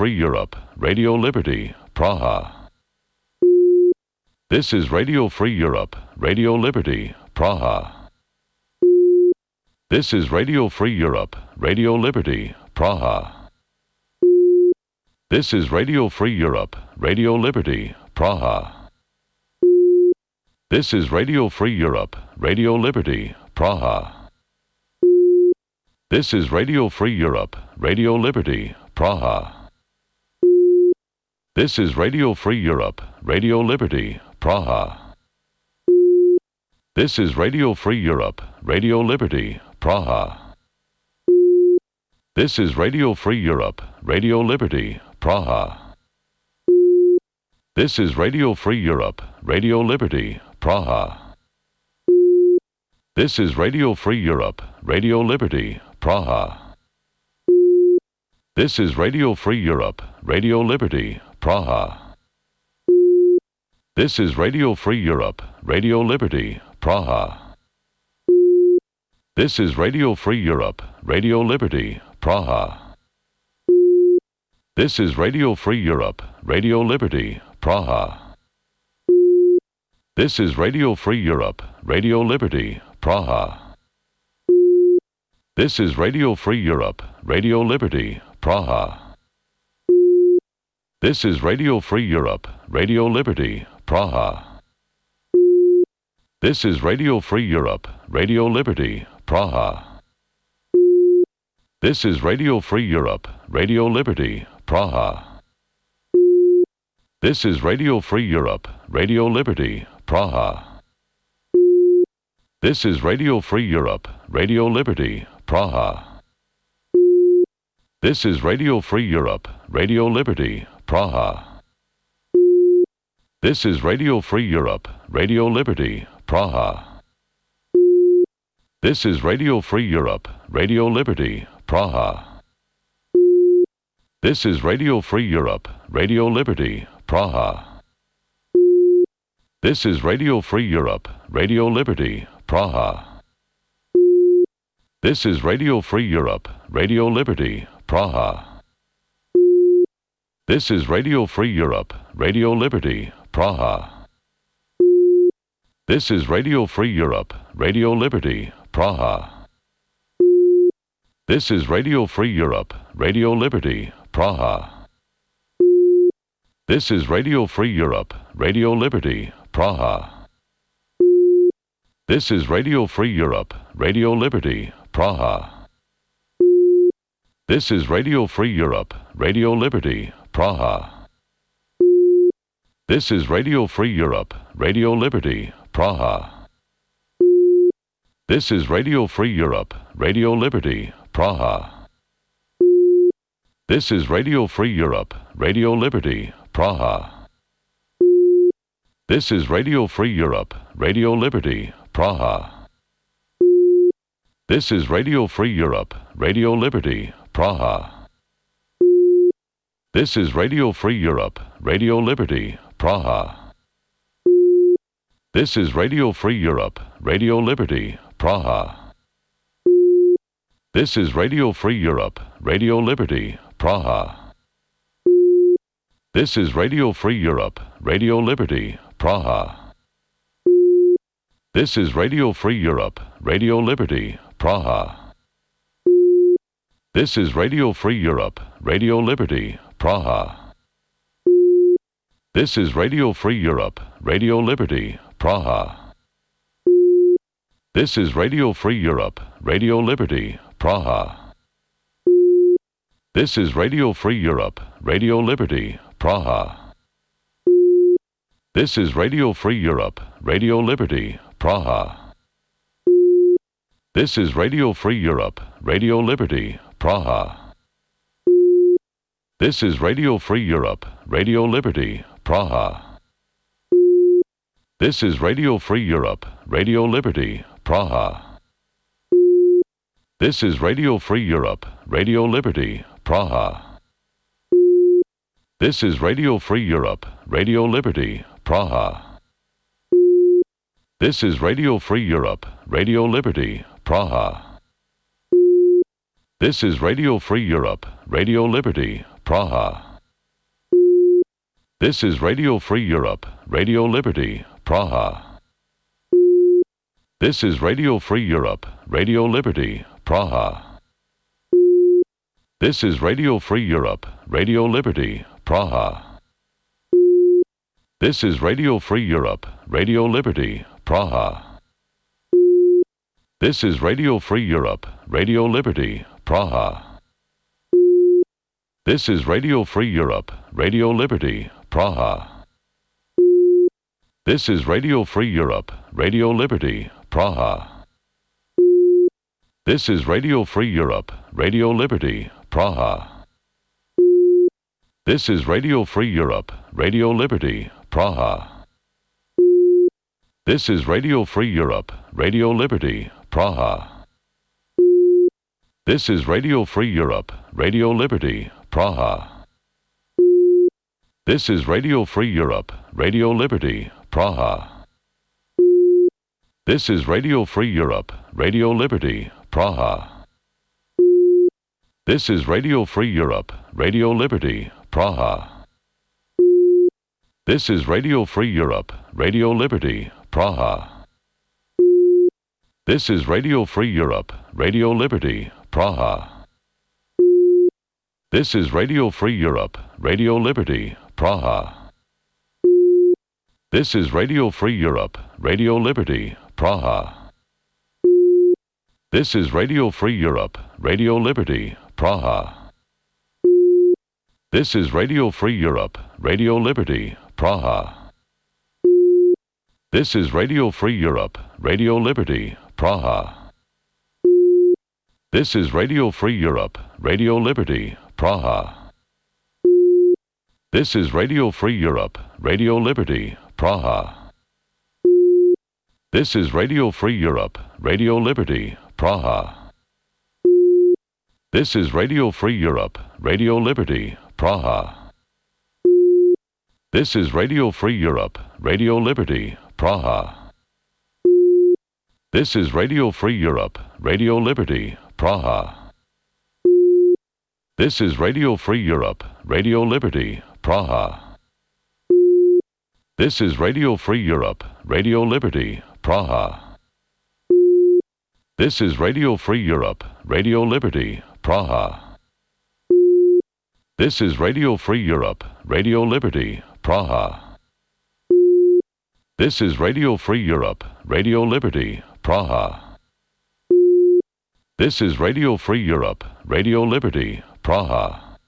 Europe, Radio Liberty, Praha. This is Radio Free Europe, Radio Liberty, Praha. This is Radio Free Europe, Radio Liberty, Praha. This is Radio Free Europe, Radio Liberty, Praha. This is Radio Free Europe, Radio Liberty, Praha. This is Radio Free Europe, Radio Liberty, Praha. This is Radio Free Europe, Radio Liberty, Praha. This is Radio Free Europe, Radio Liberty, Praha. This is Radio Free Europe, Radio Liberty, Praha. This is Radio Free Europe, Radio Liberty, Praha. This is Radio Free Europe, Radio Liberty, Praha. This is Radio Free Europe, Radio Liberty, Praha. This is Radio Free Europe, Radio Liberty, Praha. This is Radio Free Europe, Radio Liberty, Praha. This is Radio Free Europe, Radio Liberty, Praha. This is Radio Free Europe, Radio Liberty, Praha. This is Radio Free Europe, Radio Liberty, Praha. This is Radio Free Europe, Radio Liberty, Praha. This is Radio Free Europe, Radio Liberty, Praha. This is Radio Free Europe, Radio Liberty, Praha. This is Radio Free Europe, Radio Liberty, Praha. This is Radio Free Europe, Radio Liberty, Praha. This is Radio Free Europe, Radio Liberty, Praha. This is Radio Free Europe, Radio Liberty, Praha. This is Radio Free Europe, Radio Liberty, Praha. This is Radio Free Europe, Radio Liberty, Praha. This is Radio Free Europe, Radio Liberty, Praha. This is Radio Free Europe, Radio Liberty, Praha. This is Radio Free Europe, Radio Liberty, Praha. This is Radio Free Europe, Radio Liberty, Praha. This is Radio Free Europe, Radio Liberty, Praha. This is Radio Free Europe, Radio Liberty, Praha. This is Radio Free Europe, Radio Liberty, Praha. This is Radio Free Europe, Radio Liberty, Praha. This is Radio Free Europe, Radio Liberty, Praha. This is Radio Free Europe, Radio Liberty, Praha. This is Radio Free Europe, Radio Liberty, Praha. This is Radio Free Europe, Radio Liberty, Praha. This is Radio Free Europe, Radio Liberty, Praha. This is Radio Free Europe, Radio Liberty, Praha. This is Radio Free Europe, Radio Liberty, Praha. This is Radio Free Europe, Radio Liberty, Praha. This is Radio Free Europe, Radio Liberty, Praha. This is Radio Free Europe, Radio Liberty, Praha. This is Radio Free Europe, Radio Liberty, Praha. This is Radio Free Europe, Radio Liberty, Praha. This is Radio Free Europe, Radio Liberty, Praha. This is Radio Free Europe, Radio Liberty, Praha. This is Radio Free Europe, Radio Liberty, Praha. This is Radio Free Europe, Radio Liberty, Praha. This is Radio Free Europe, Radio Liberty, Praha. This is Radio Free Europe, Radio Liberty, Praha. This is Radio Free Europe, Radio Liberty, Praha. This is Radio Free Europe, Radio Liberty, Praha. This is Radio Free Europe, Radio Liberty, Praha. This is Radio Free Europe, Radio Liberty, Praha. This is Radio Free Europe, Radio Liberty, Praha. This is Radio Free Europe, Radio Liberty, Praha. This is Radio Free Europe, Radio Liberty, Praha. This is Radio Free Europe, Radio Liberty, Praha. This is Radio Free Europe, Radio Liberty, Praha. This is Radio Free Europe, Radio Liberty, Praha. This is Radio Free Europe, Radio Liberty, Praha. This is Radio Free Europe, Radio Liberty, Praha. This is Radio Free Europe, Radio Liberty, Praha. This is Radio Free Europe, Radio Liberty, Praha. This is Radio Free Europe, Radio Liberty, Praha. This is Radio Free Europe, Radio Liberty, Praha. This is Radio Free Europe, Radio Liberty, Praha. This is Radio Free Europe, Radio Liberty, Praha. This is Radio Free Europe, Radio Liberty, Praha. This is Radio Free Europe, Radio Liberty, Praha. This is Radio Free Europe, Radio Liberty, Praha. This is Radio Free Europe, Radio Liberty, Praha. This is Radio Free Europe, Radio Liberty, Praha. This is Radio Free Europe, Radio Liberty, Praha. This is Radio Free Europe, Radio Liberty, Praha. This is Radio Free Europe, Radio Liberty, Praha. This is Radio Free Europe, Radio Liberty, Praha. This is Radio Free Europe, Radio Liberty, Praha. This is Radio Free Europe, Radio Liberty, Praha. This is Radio Free Europe, Radio Liberty, Praha. This is Radio Free Europe, Radio Liberty, Praha. This is Radio Free Europe, Radio Liberty, Praha. This is Radio Free Europe, Radio Liberty, Praha. This is Radio Free Europe, Radio Liberty, Praha. This is Radio Free Europe, Radio Liberty, Praha. This is Radio Free Europe, Radio Liberty, Praha. This is Radio Free Europe, Radio Liberty, Praha. This is Radio Free Europe, Radio Liberty, Praha.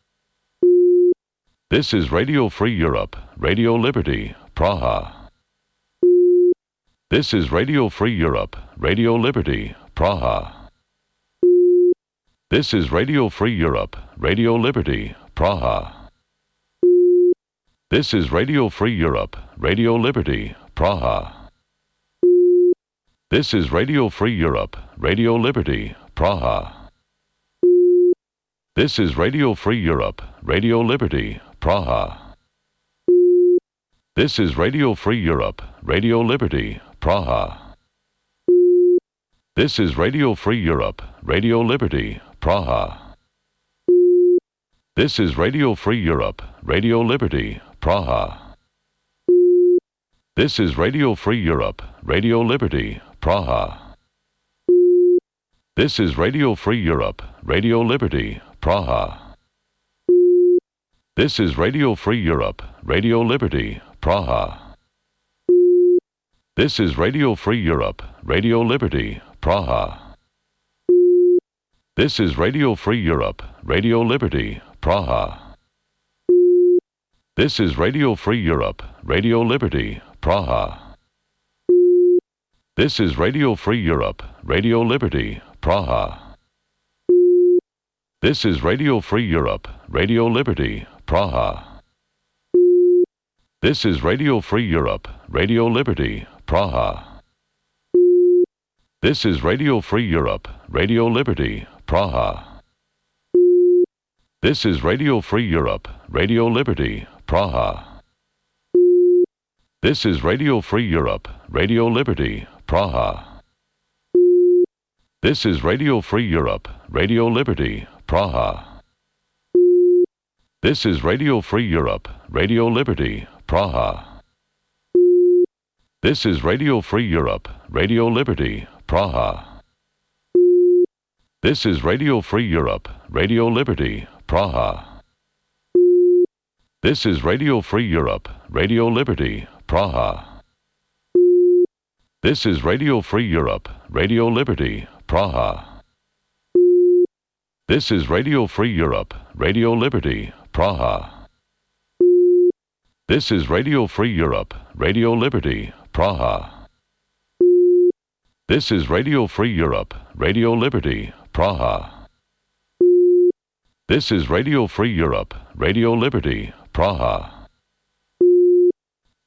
This is Radio Free Europe, Radio Liberty, Praha. This is Radio Free Europe, Radio Liberty, Praha. This is Radio Free Europe, Radio Liberty, Praha. This is Radio Free Europe, Radio Liberty, Praha. This is Radio Free Europe, Radio Liberty, Praha. This is Radio Free Europe, Radio Liberty, Praha. This is Radio Free Europe, Radio Liberty, Praha. This is Radio Free Europe, Radio Liberty, Praha. This is Radio Free Europe, Radio Liberty, Praha. This is Radio Free Europe, Radio Liberty, Praha. This is Radio Free Europe, Radio Liberty, Praha. This is Radio Free Europe, Radio Liberty, Praha. This is Radio Free Europe, Radio Liberty, Praha. This is Radio Free Europe, Radio Liberty, Praha. This is Radio Free Europe, Radio Liberty, Praha. This is Radio Free Europe, Radio Liberty, Praha. This is Radio Free Europe, Radio Liberty, Praha. This is Radio Free Europe, Radio Liberty, Praha. This is Radio Free Europe, Radio Liberty, Praha. This is Radio Free Europe, Radio Liberty, Praha. This is Radio Free Europe, Radio Liberty, Praha. This is Radio Free Europe, Radio Liberty, Praha. This is Radio Free Europe, Radio Liberty, Praha. This is Radio Free Europe, Radio Liberty, Praha. This is Radio Free Europe, Radio Liberty, Praha. This is Radio Free Europe, Radio Liberty, Praha. This is Radio Free Europe, Radio Liberty, Praha. This is Radio Free Europe, Radio Liberty, Praha. This is Radio Free Europe, Radio Liberty, Praha. This is Radio Free Europe, Radio Liberty, Praha. This is Radio Free Europe, Radio Liberty, Praha.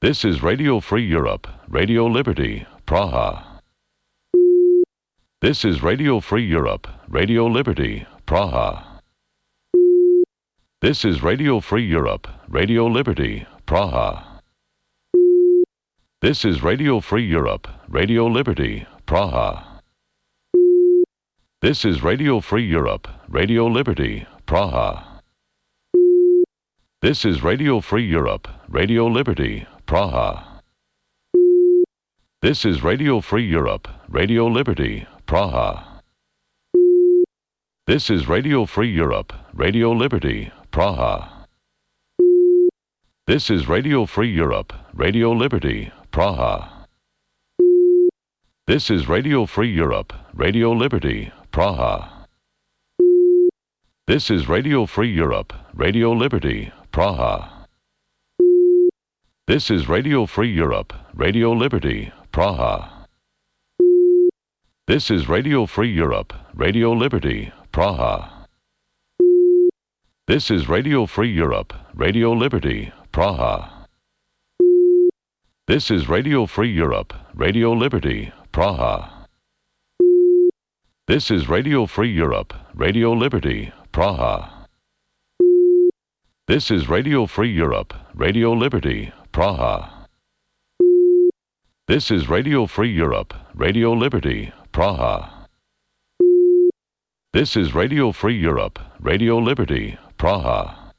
This is Radio Free Europe, Radio Liberty, Praha. This is Radio Free Europe, Radio Liberty, Praha. This is Radio Free Europe, Radio Liberty, Praha. This is Radio Free Europe, Radio Liberty, Praha. This is Radio Free Europe, Radio Liberty, Praha. This is Radio Free Europe, Radio Liberty, Praha. This is Radio Free Europe, Radio Liberty, Praha. This is Radio Free Europe, Radio Liberty, Praha. This is Radio Free Europe, Radio Liberty, Praha. This is Radio Free Europe, Radio Liberty, Praha. This is Radio Free Europe, Radio Liberty, Praha. This is Radio Free Europe, Radio Liberty, Praha. This is Radio Free Europe, Radio Liberty, Praha. This is Radio Free Europe, Radio Liberty, Praha. This is Radio Free Europe, Radio Liberty, Praha. This is Radio Free Europe, Radio Liberty, Praha. This is Radio Free Europe, Radio Liberty, Praha. This is Radio Free Europe, Radio Liberty, Praha. This is Radio Free Europe, Radio Liberty, Praha.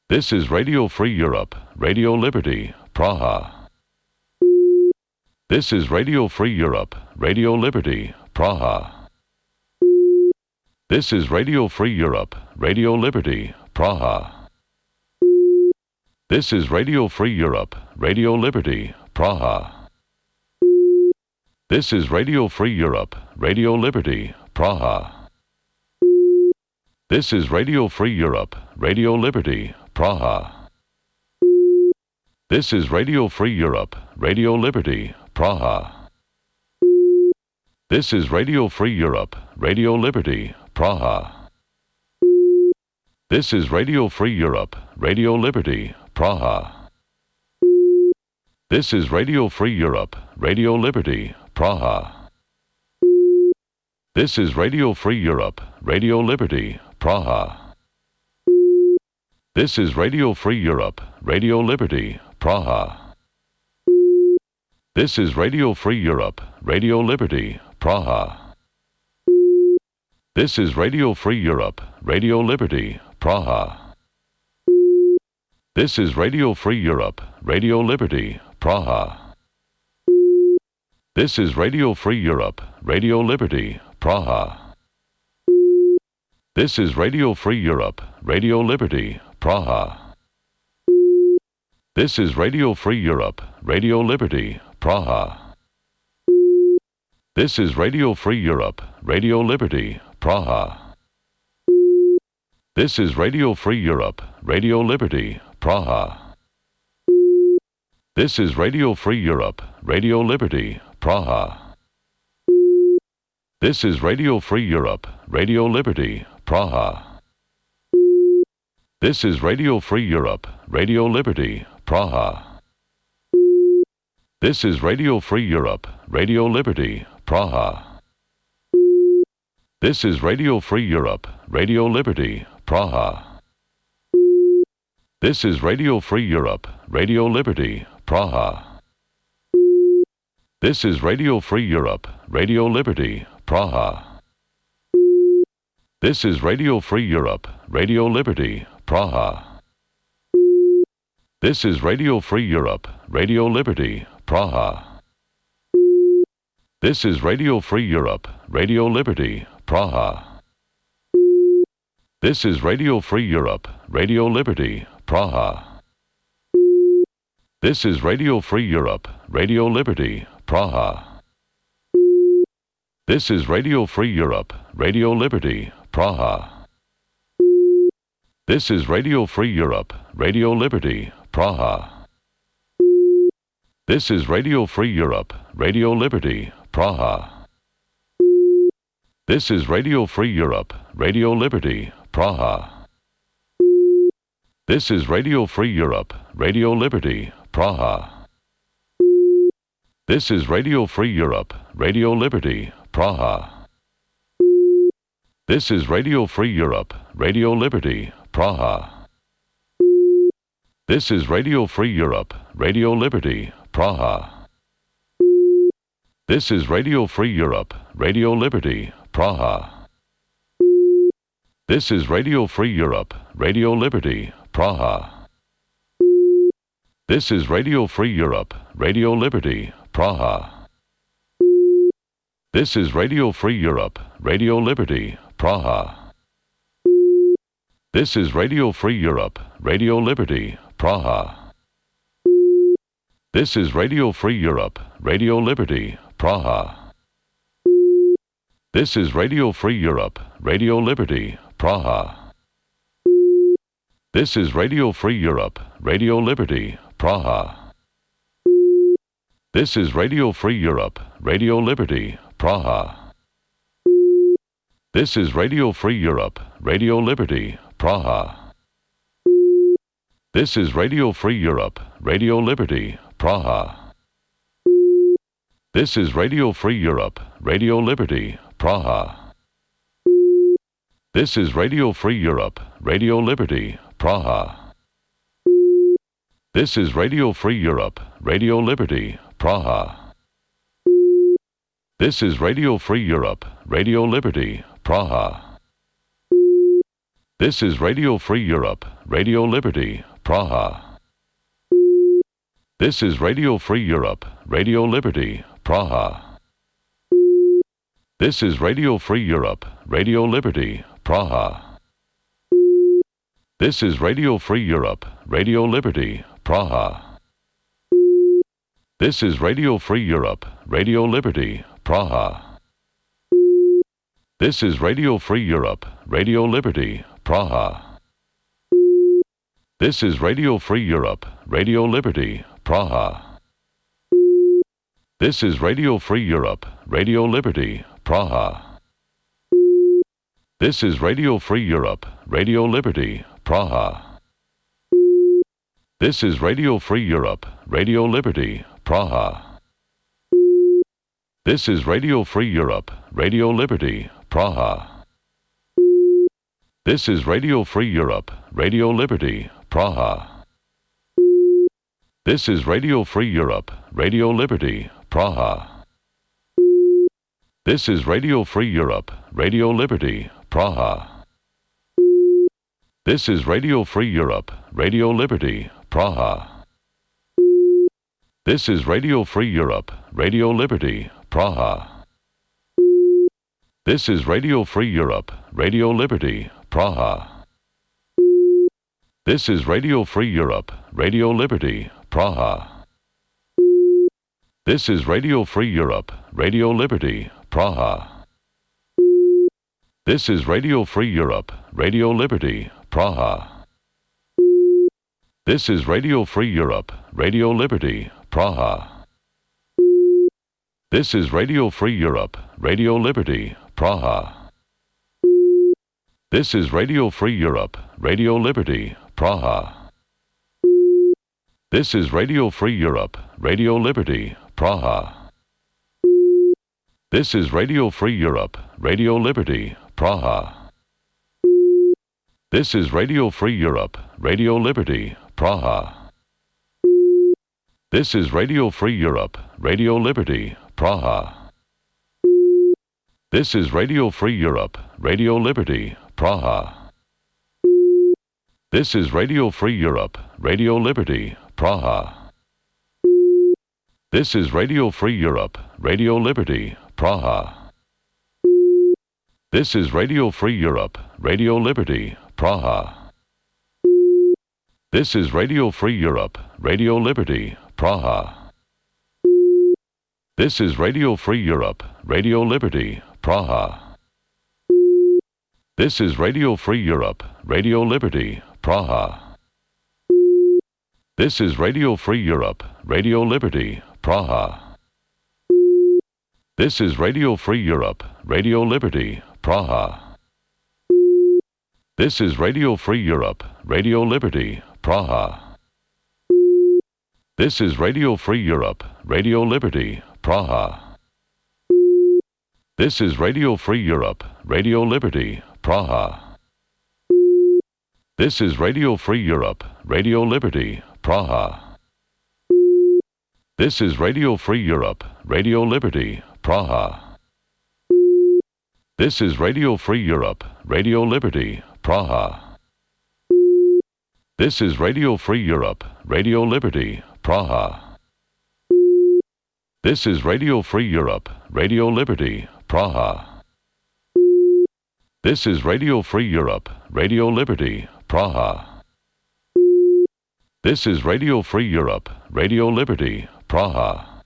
This is Radio Free Europe, Radio Liberty, Praha. This is Radio Free Europe, Radio Liberty, Praha. This is Radio Free Europe, Radio Liberty, Praha. This is Radio Free Europe, Radio Liberty, Praha. This is Radio Free Europe, Radio Liberty, Praha. This is Radio Free Europe, Radio Liberty, Praha. This is Radio Free Europe, Radio Liberty, Praha. This is Radio Free Europe, Radio Liberty, Praha. This is Radio Free Europe, Radio Liberty, Praha. This is Radio Free Europe, Radio Liberty, Praha. This is Radio Free Europe, Radio Liberty, Praha. This is Radio Free Europe, Radio Liberty, Praha. This is Radio Free Europe, Radio Liberty, Praha. This is Radio Free Europe, Radio Liberty, Praha. This is Radio Free Europe, Radio Liberty, Praha. This is Radio Free Europe, Radio Liberty, Praha. This is Radio Free Europe, Radio Liberty, Praha. This is Radio Free Europe, Radio Liberty, Praha. This is Radio Free Europe, Radio Liberty, Praha. This is Radio Free Europe, Radio Liberty, Praha. This is Radio Free Europe, Radio Liberty, Praha. This is Radio Free Europe, Radio Liberty, Praha. This is Radio Free Europe, Radio Liberty, Praha. This is Radio Free Europe, Radio Liberty, Praha. This is Radio Free Europe, Radio Liberty, Praha. This is Radio Free Europe, Radio Liberty, Praha. This is Radio Free Europe, Radio Liberty, Praha. This is Radio Free Europe, Radio Liberty, Praha. This is Radio Free Europe, Radio Liberty, Praha. This is Radio Free Europe, Radio Liberty, Praha. This is Radio Free Europe, Radio Liberty, Praha. This is Radio Free Europe, Radio Liberty, Praha. This is Radio Free Europe, Radio Liberty, Praha. This is Radio Free Europe, Radio Liberty, Praha. This is Radio Free Europe, Radio Liberty, Praha. This is Radio Free Europe, Radio Liberty, Praha. This is Radio Free Europe, Radio Liberty, Praha. This is Radio Free Europe, Radio Liberty, Praha. This is Radio Free Europe, Radio Liberty, Praha. This is Radio Free Europe, Radio Liberty, Praha. This is Radio Free Europe, Radio Liberty, Praha. This is Radio Free Europe, Radio Liberty, Praha. This is Radio Free Europe, Radio Liberty, Praha. This is Radio Free Europe, Radio Liberty, Praha. This is Radio Free Europe, Radio Liberty, Praha. This is Radio Free Europe, Radio Liberty, Praha. This is Radio Free Europe, Radio Liberty, Praha. This is Radio Free Europe, Radio Liberty, Praha. This is Radio Free Europe, Radio Liberty, Praha. This is Radio Free Europe, Radio Liberty, Praha. This is Radio Free Europe, Radio Liberty, Praha. This is Radio Free Europe, Radio Liberty, Praha. This is Radio Free Europe, Radio Liberty, Praha. This is Radio Free Europe, Radio Liberty, Praha. This is Radio Free Europe, Radio Liberty, Praha. This is Radio Free Europe, Radio Liberty, Praha. This is Radio Free Europe, Radio Liberty, Praha. This is Radio Free Europe, Radio Liberty, Praha. This is Radio Free Europe, Radio Liberty, Praha. This is Radio Free Europe, Radio Liberty, Praha. This is Radio Free Europe, Radio Liberty, Praha. This is Radio Free Europe, Radio Liberty, Praha. This is Radio Free Europe, Radio Liberty, Praha. This is Radio Free Europe, Radio Liberty, Praha. This is Radio Free Europe, Radio Liberty, Praha. This is Radio Free Europe, Radio Liberty, Praha. This is Radio Free Europe, Radio Liberty, Praha. This is Radio Free Europe, Radio Liberty, Praha. This is Radio Free Europe, Radio Liberty, Praha. This is Radio Free Europe, Radio Liberty, Praha. This is Radio Free Europe, Radio Liberty, Praha. This is Radio Free Europe, Radio Liberty, Praha. This is Radio Free Europe, Radio Liberty, Praha. This is Radio Free Europe, Radio Liberty, Praha. This is Radio Free Europe, Radio Liberty, Praha. This is Radio Free Europe, Radio Liberty, Praha. This is Radio Free Europe, Radio Liberty, Praha. This is Radio Free Europe, Radio Liberty, Praha. This is Radio Free Europe, Radio Liberty, Praha. This is Radio Free Europe, Radio Liberty, Praha. This is Radio Free Europe, Radio Liberty, Praha. This is Radio Free Europe, Radio Liberty, Praha. This is Radio Free Europe, Radio Liberty, Praha. This is Radio Free Europe, Radio Liberty, Praha. This is Radio Free Europe, Radio Liberty, Praha. This is Radio Free Europe, Radio Liberty, Praha. This is Radio Free Europe, Radio Liberty, Praha. This is Radio Free Europe, Radio Liberty, Praha. This is Radio Free Europe, Radio Liberty, Praha. This is Radio Free Europe, Radio Liberty, Praha. This is Radio Free Europe, Radio Liberty, Praha. This is Radio Free Europe, Radio Liberty, Praha. This is Radio Free Europe, Radio Liberty, Praha. This is Radio Free Europe, Radio Liberty, Praha. This is Radio Free Europe, Radio Liberty, Praha. This is Radio Free Europe, Radio Liberty, Praha. This is Radio Free Europe, Radio Liberty, Praha. This is Radio Free Europe, Radio Liberty, Praha. This is Radio Free Europe, Radio Liberty, Praha. This is Radio Free Europe, Radio Liberty, Praha. This is Radio Free Europe, Radio Liberty, Praha.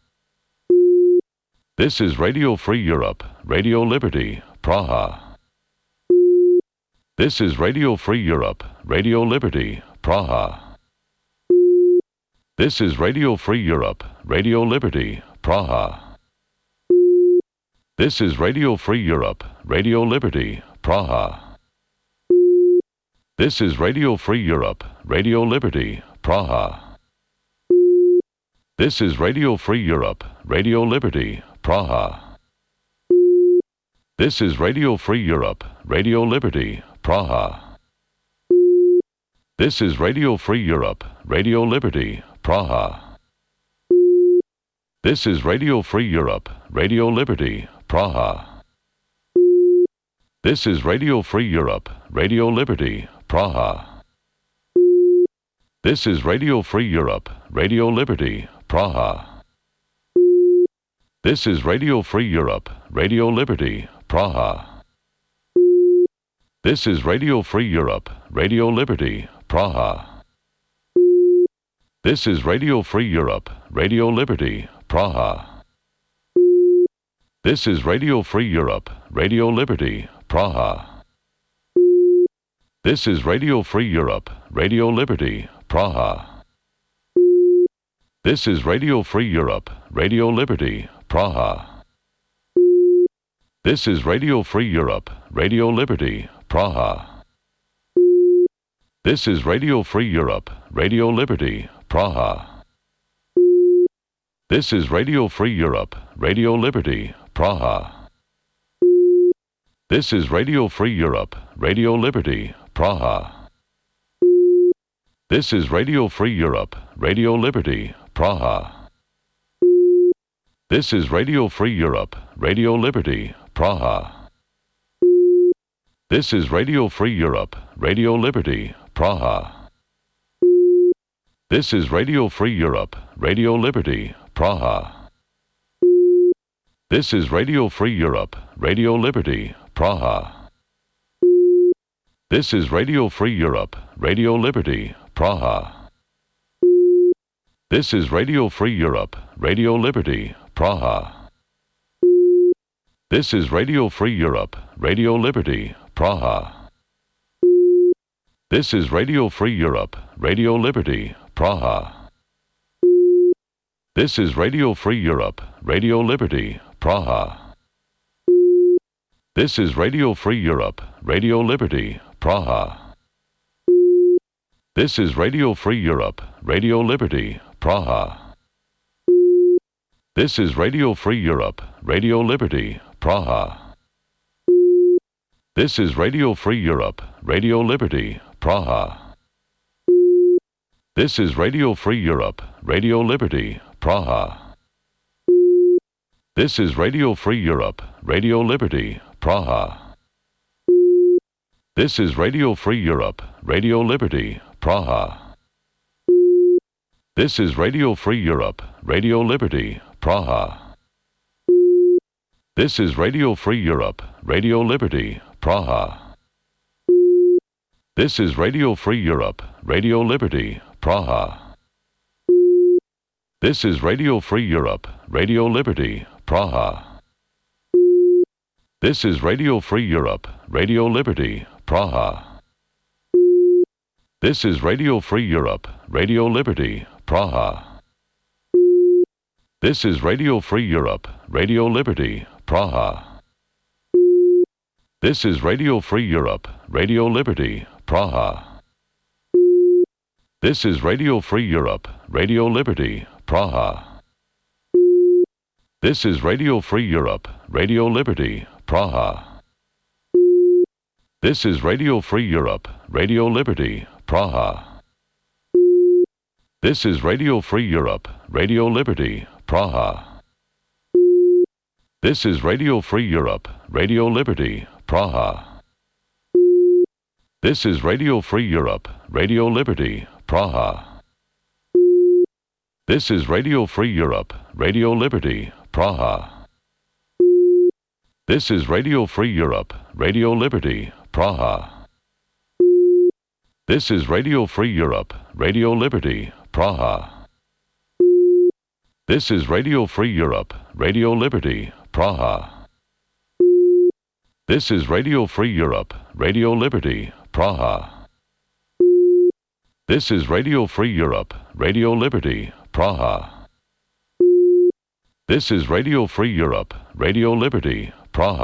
This is Radio Free Europe, Radio Liberty, Praha. This is Radio Free Europe, Radio Liberty, Praha. This is Radio Free Europe, Radio Liberty, Praha. This is Radio Free Europe, Radio Liberty, Praha. This is Radio Free Europe, Radio Liberty, Praha. This is Radio Free Europe, Radio Liberty, Praha. This is Radio Free Europe, Radio Liberty, Praha. This is Radio Free Europe, Radio Liberty, Praha. This is Radio Free Europe, Radio Liberty, Praha. This is Radio Free Europe, Radio Liberty, Praha. This is Radio Free Europe, Radio Liberty, Praha. This is Radio Free Europe, Radio Liberty, Praha. This is Radio Free Europe, Radio Liberty, Praha. This is Radio Free Europe, Radio Liberty, Praha. This is Radio Free Europe, Radio Liberty, Praha. This is Radio Free Europe, Radio Liberty, Praha. This is Radio Free Europe, Radio Liberty, Praha. This is Radio Free Europe, Radio Liberty, Praha. This is Radio Free Europe, Radio Liberty, Praha. This is Radio Free Europe, Radio Liberty, Praha. This is Radio Free Europe, Radio Liberty, Praha. This is Radio Free Europe, Radio Liberty, Praha. This is Radio Free Europe, Radio Liberty, Praha. This is Radio Free Europe, Radio Liberty, Praha. This is Radio Free Europe, Radio Liberty, Praha. This is Radio Free Europe, Radio Liberty, Praha. This is Radio Free Europe, Radio Liberty, Praha. This is Radio Free Europe, Radio Liberty, Praha. This is Radio Free Europe, Radio Liberty, Praha. This is Radio Free Europe, Radio Liberty, Praha. This is Radio Free Europe, Radio Liberty, Praha. This is Radio Free Europe, Radio Liberty, Praha. This is Radio Free Europe, Radio Liberty, Praha. This is Radio Free Europe, Radio Liberty, Praha. This is Radio Free Europe, Radio Liberty, Praha. This is Radio Free Europe, Radio Liberty, Praha. This is Radio Free Europe, Radio Liberty, Praha. This is Radio Free Europe, Radio Liberty, Praha. This is Radio Free Europe, Radio Liberty, Praha. This is Radio Free Europe, Radio Liberty, Praha. This is Radio Free Europe, Radio Liberty, Praha. This is Radio Free Europe, Radio Liberty, Praha. This is Radio Free Europe, Radio Liberty, Praha. This is Radio Free Europe, Radio Liberty, Praha. This is Radio Free Europe, Radio Liberty, Praha. This is Radio Free Europe, Radio Liberty, Praha. This is Radio Free Europe, Radio Liberty, Praha. This is Radio Free Europe, Radio Liberty, Praha. This is Radio Free Europe, Radio Liberty, Praha. This is Radio Free Europe, Radio Liberty, Praha. This is Radio Free Europe, Radio Liberty, Praha. This is Radio Free Europe, Radio Liberty, Praha. This is Radio Free Europe, Radio Liberty, Praha. This is Radio Free Europe, Radio Liberty, Praha. This is Radio Free Europe, Radio Liberty, Praha. This is Radio Free Europe, Radio Liberty, Praha. This is Radio Free Europe, Radio Liberty, Praha. This is Radio Free Europe, Radio Liberty, Praha. This is Radio Free Europe, Radio Liberty, Praha.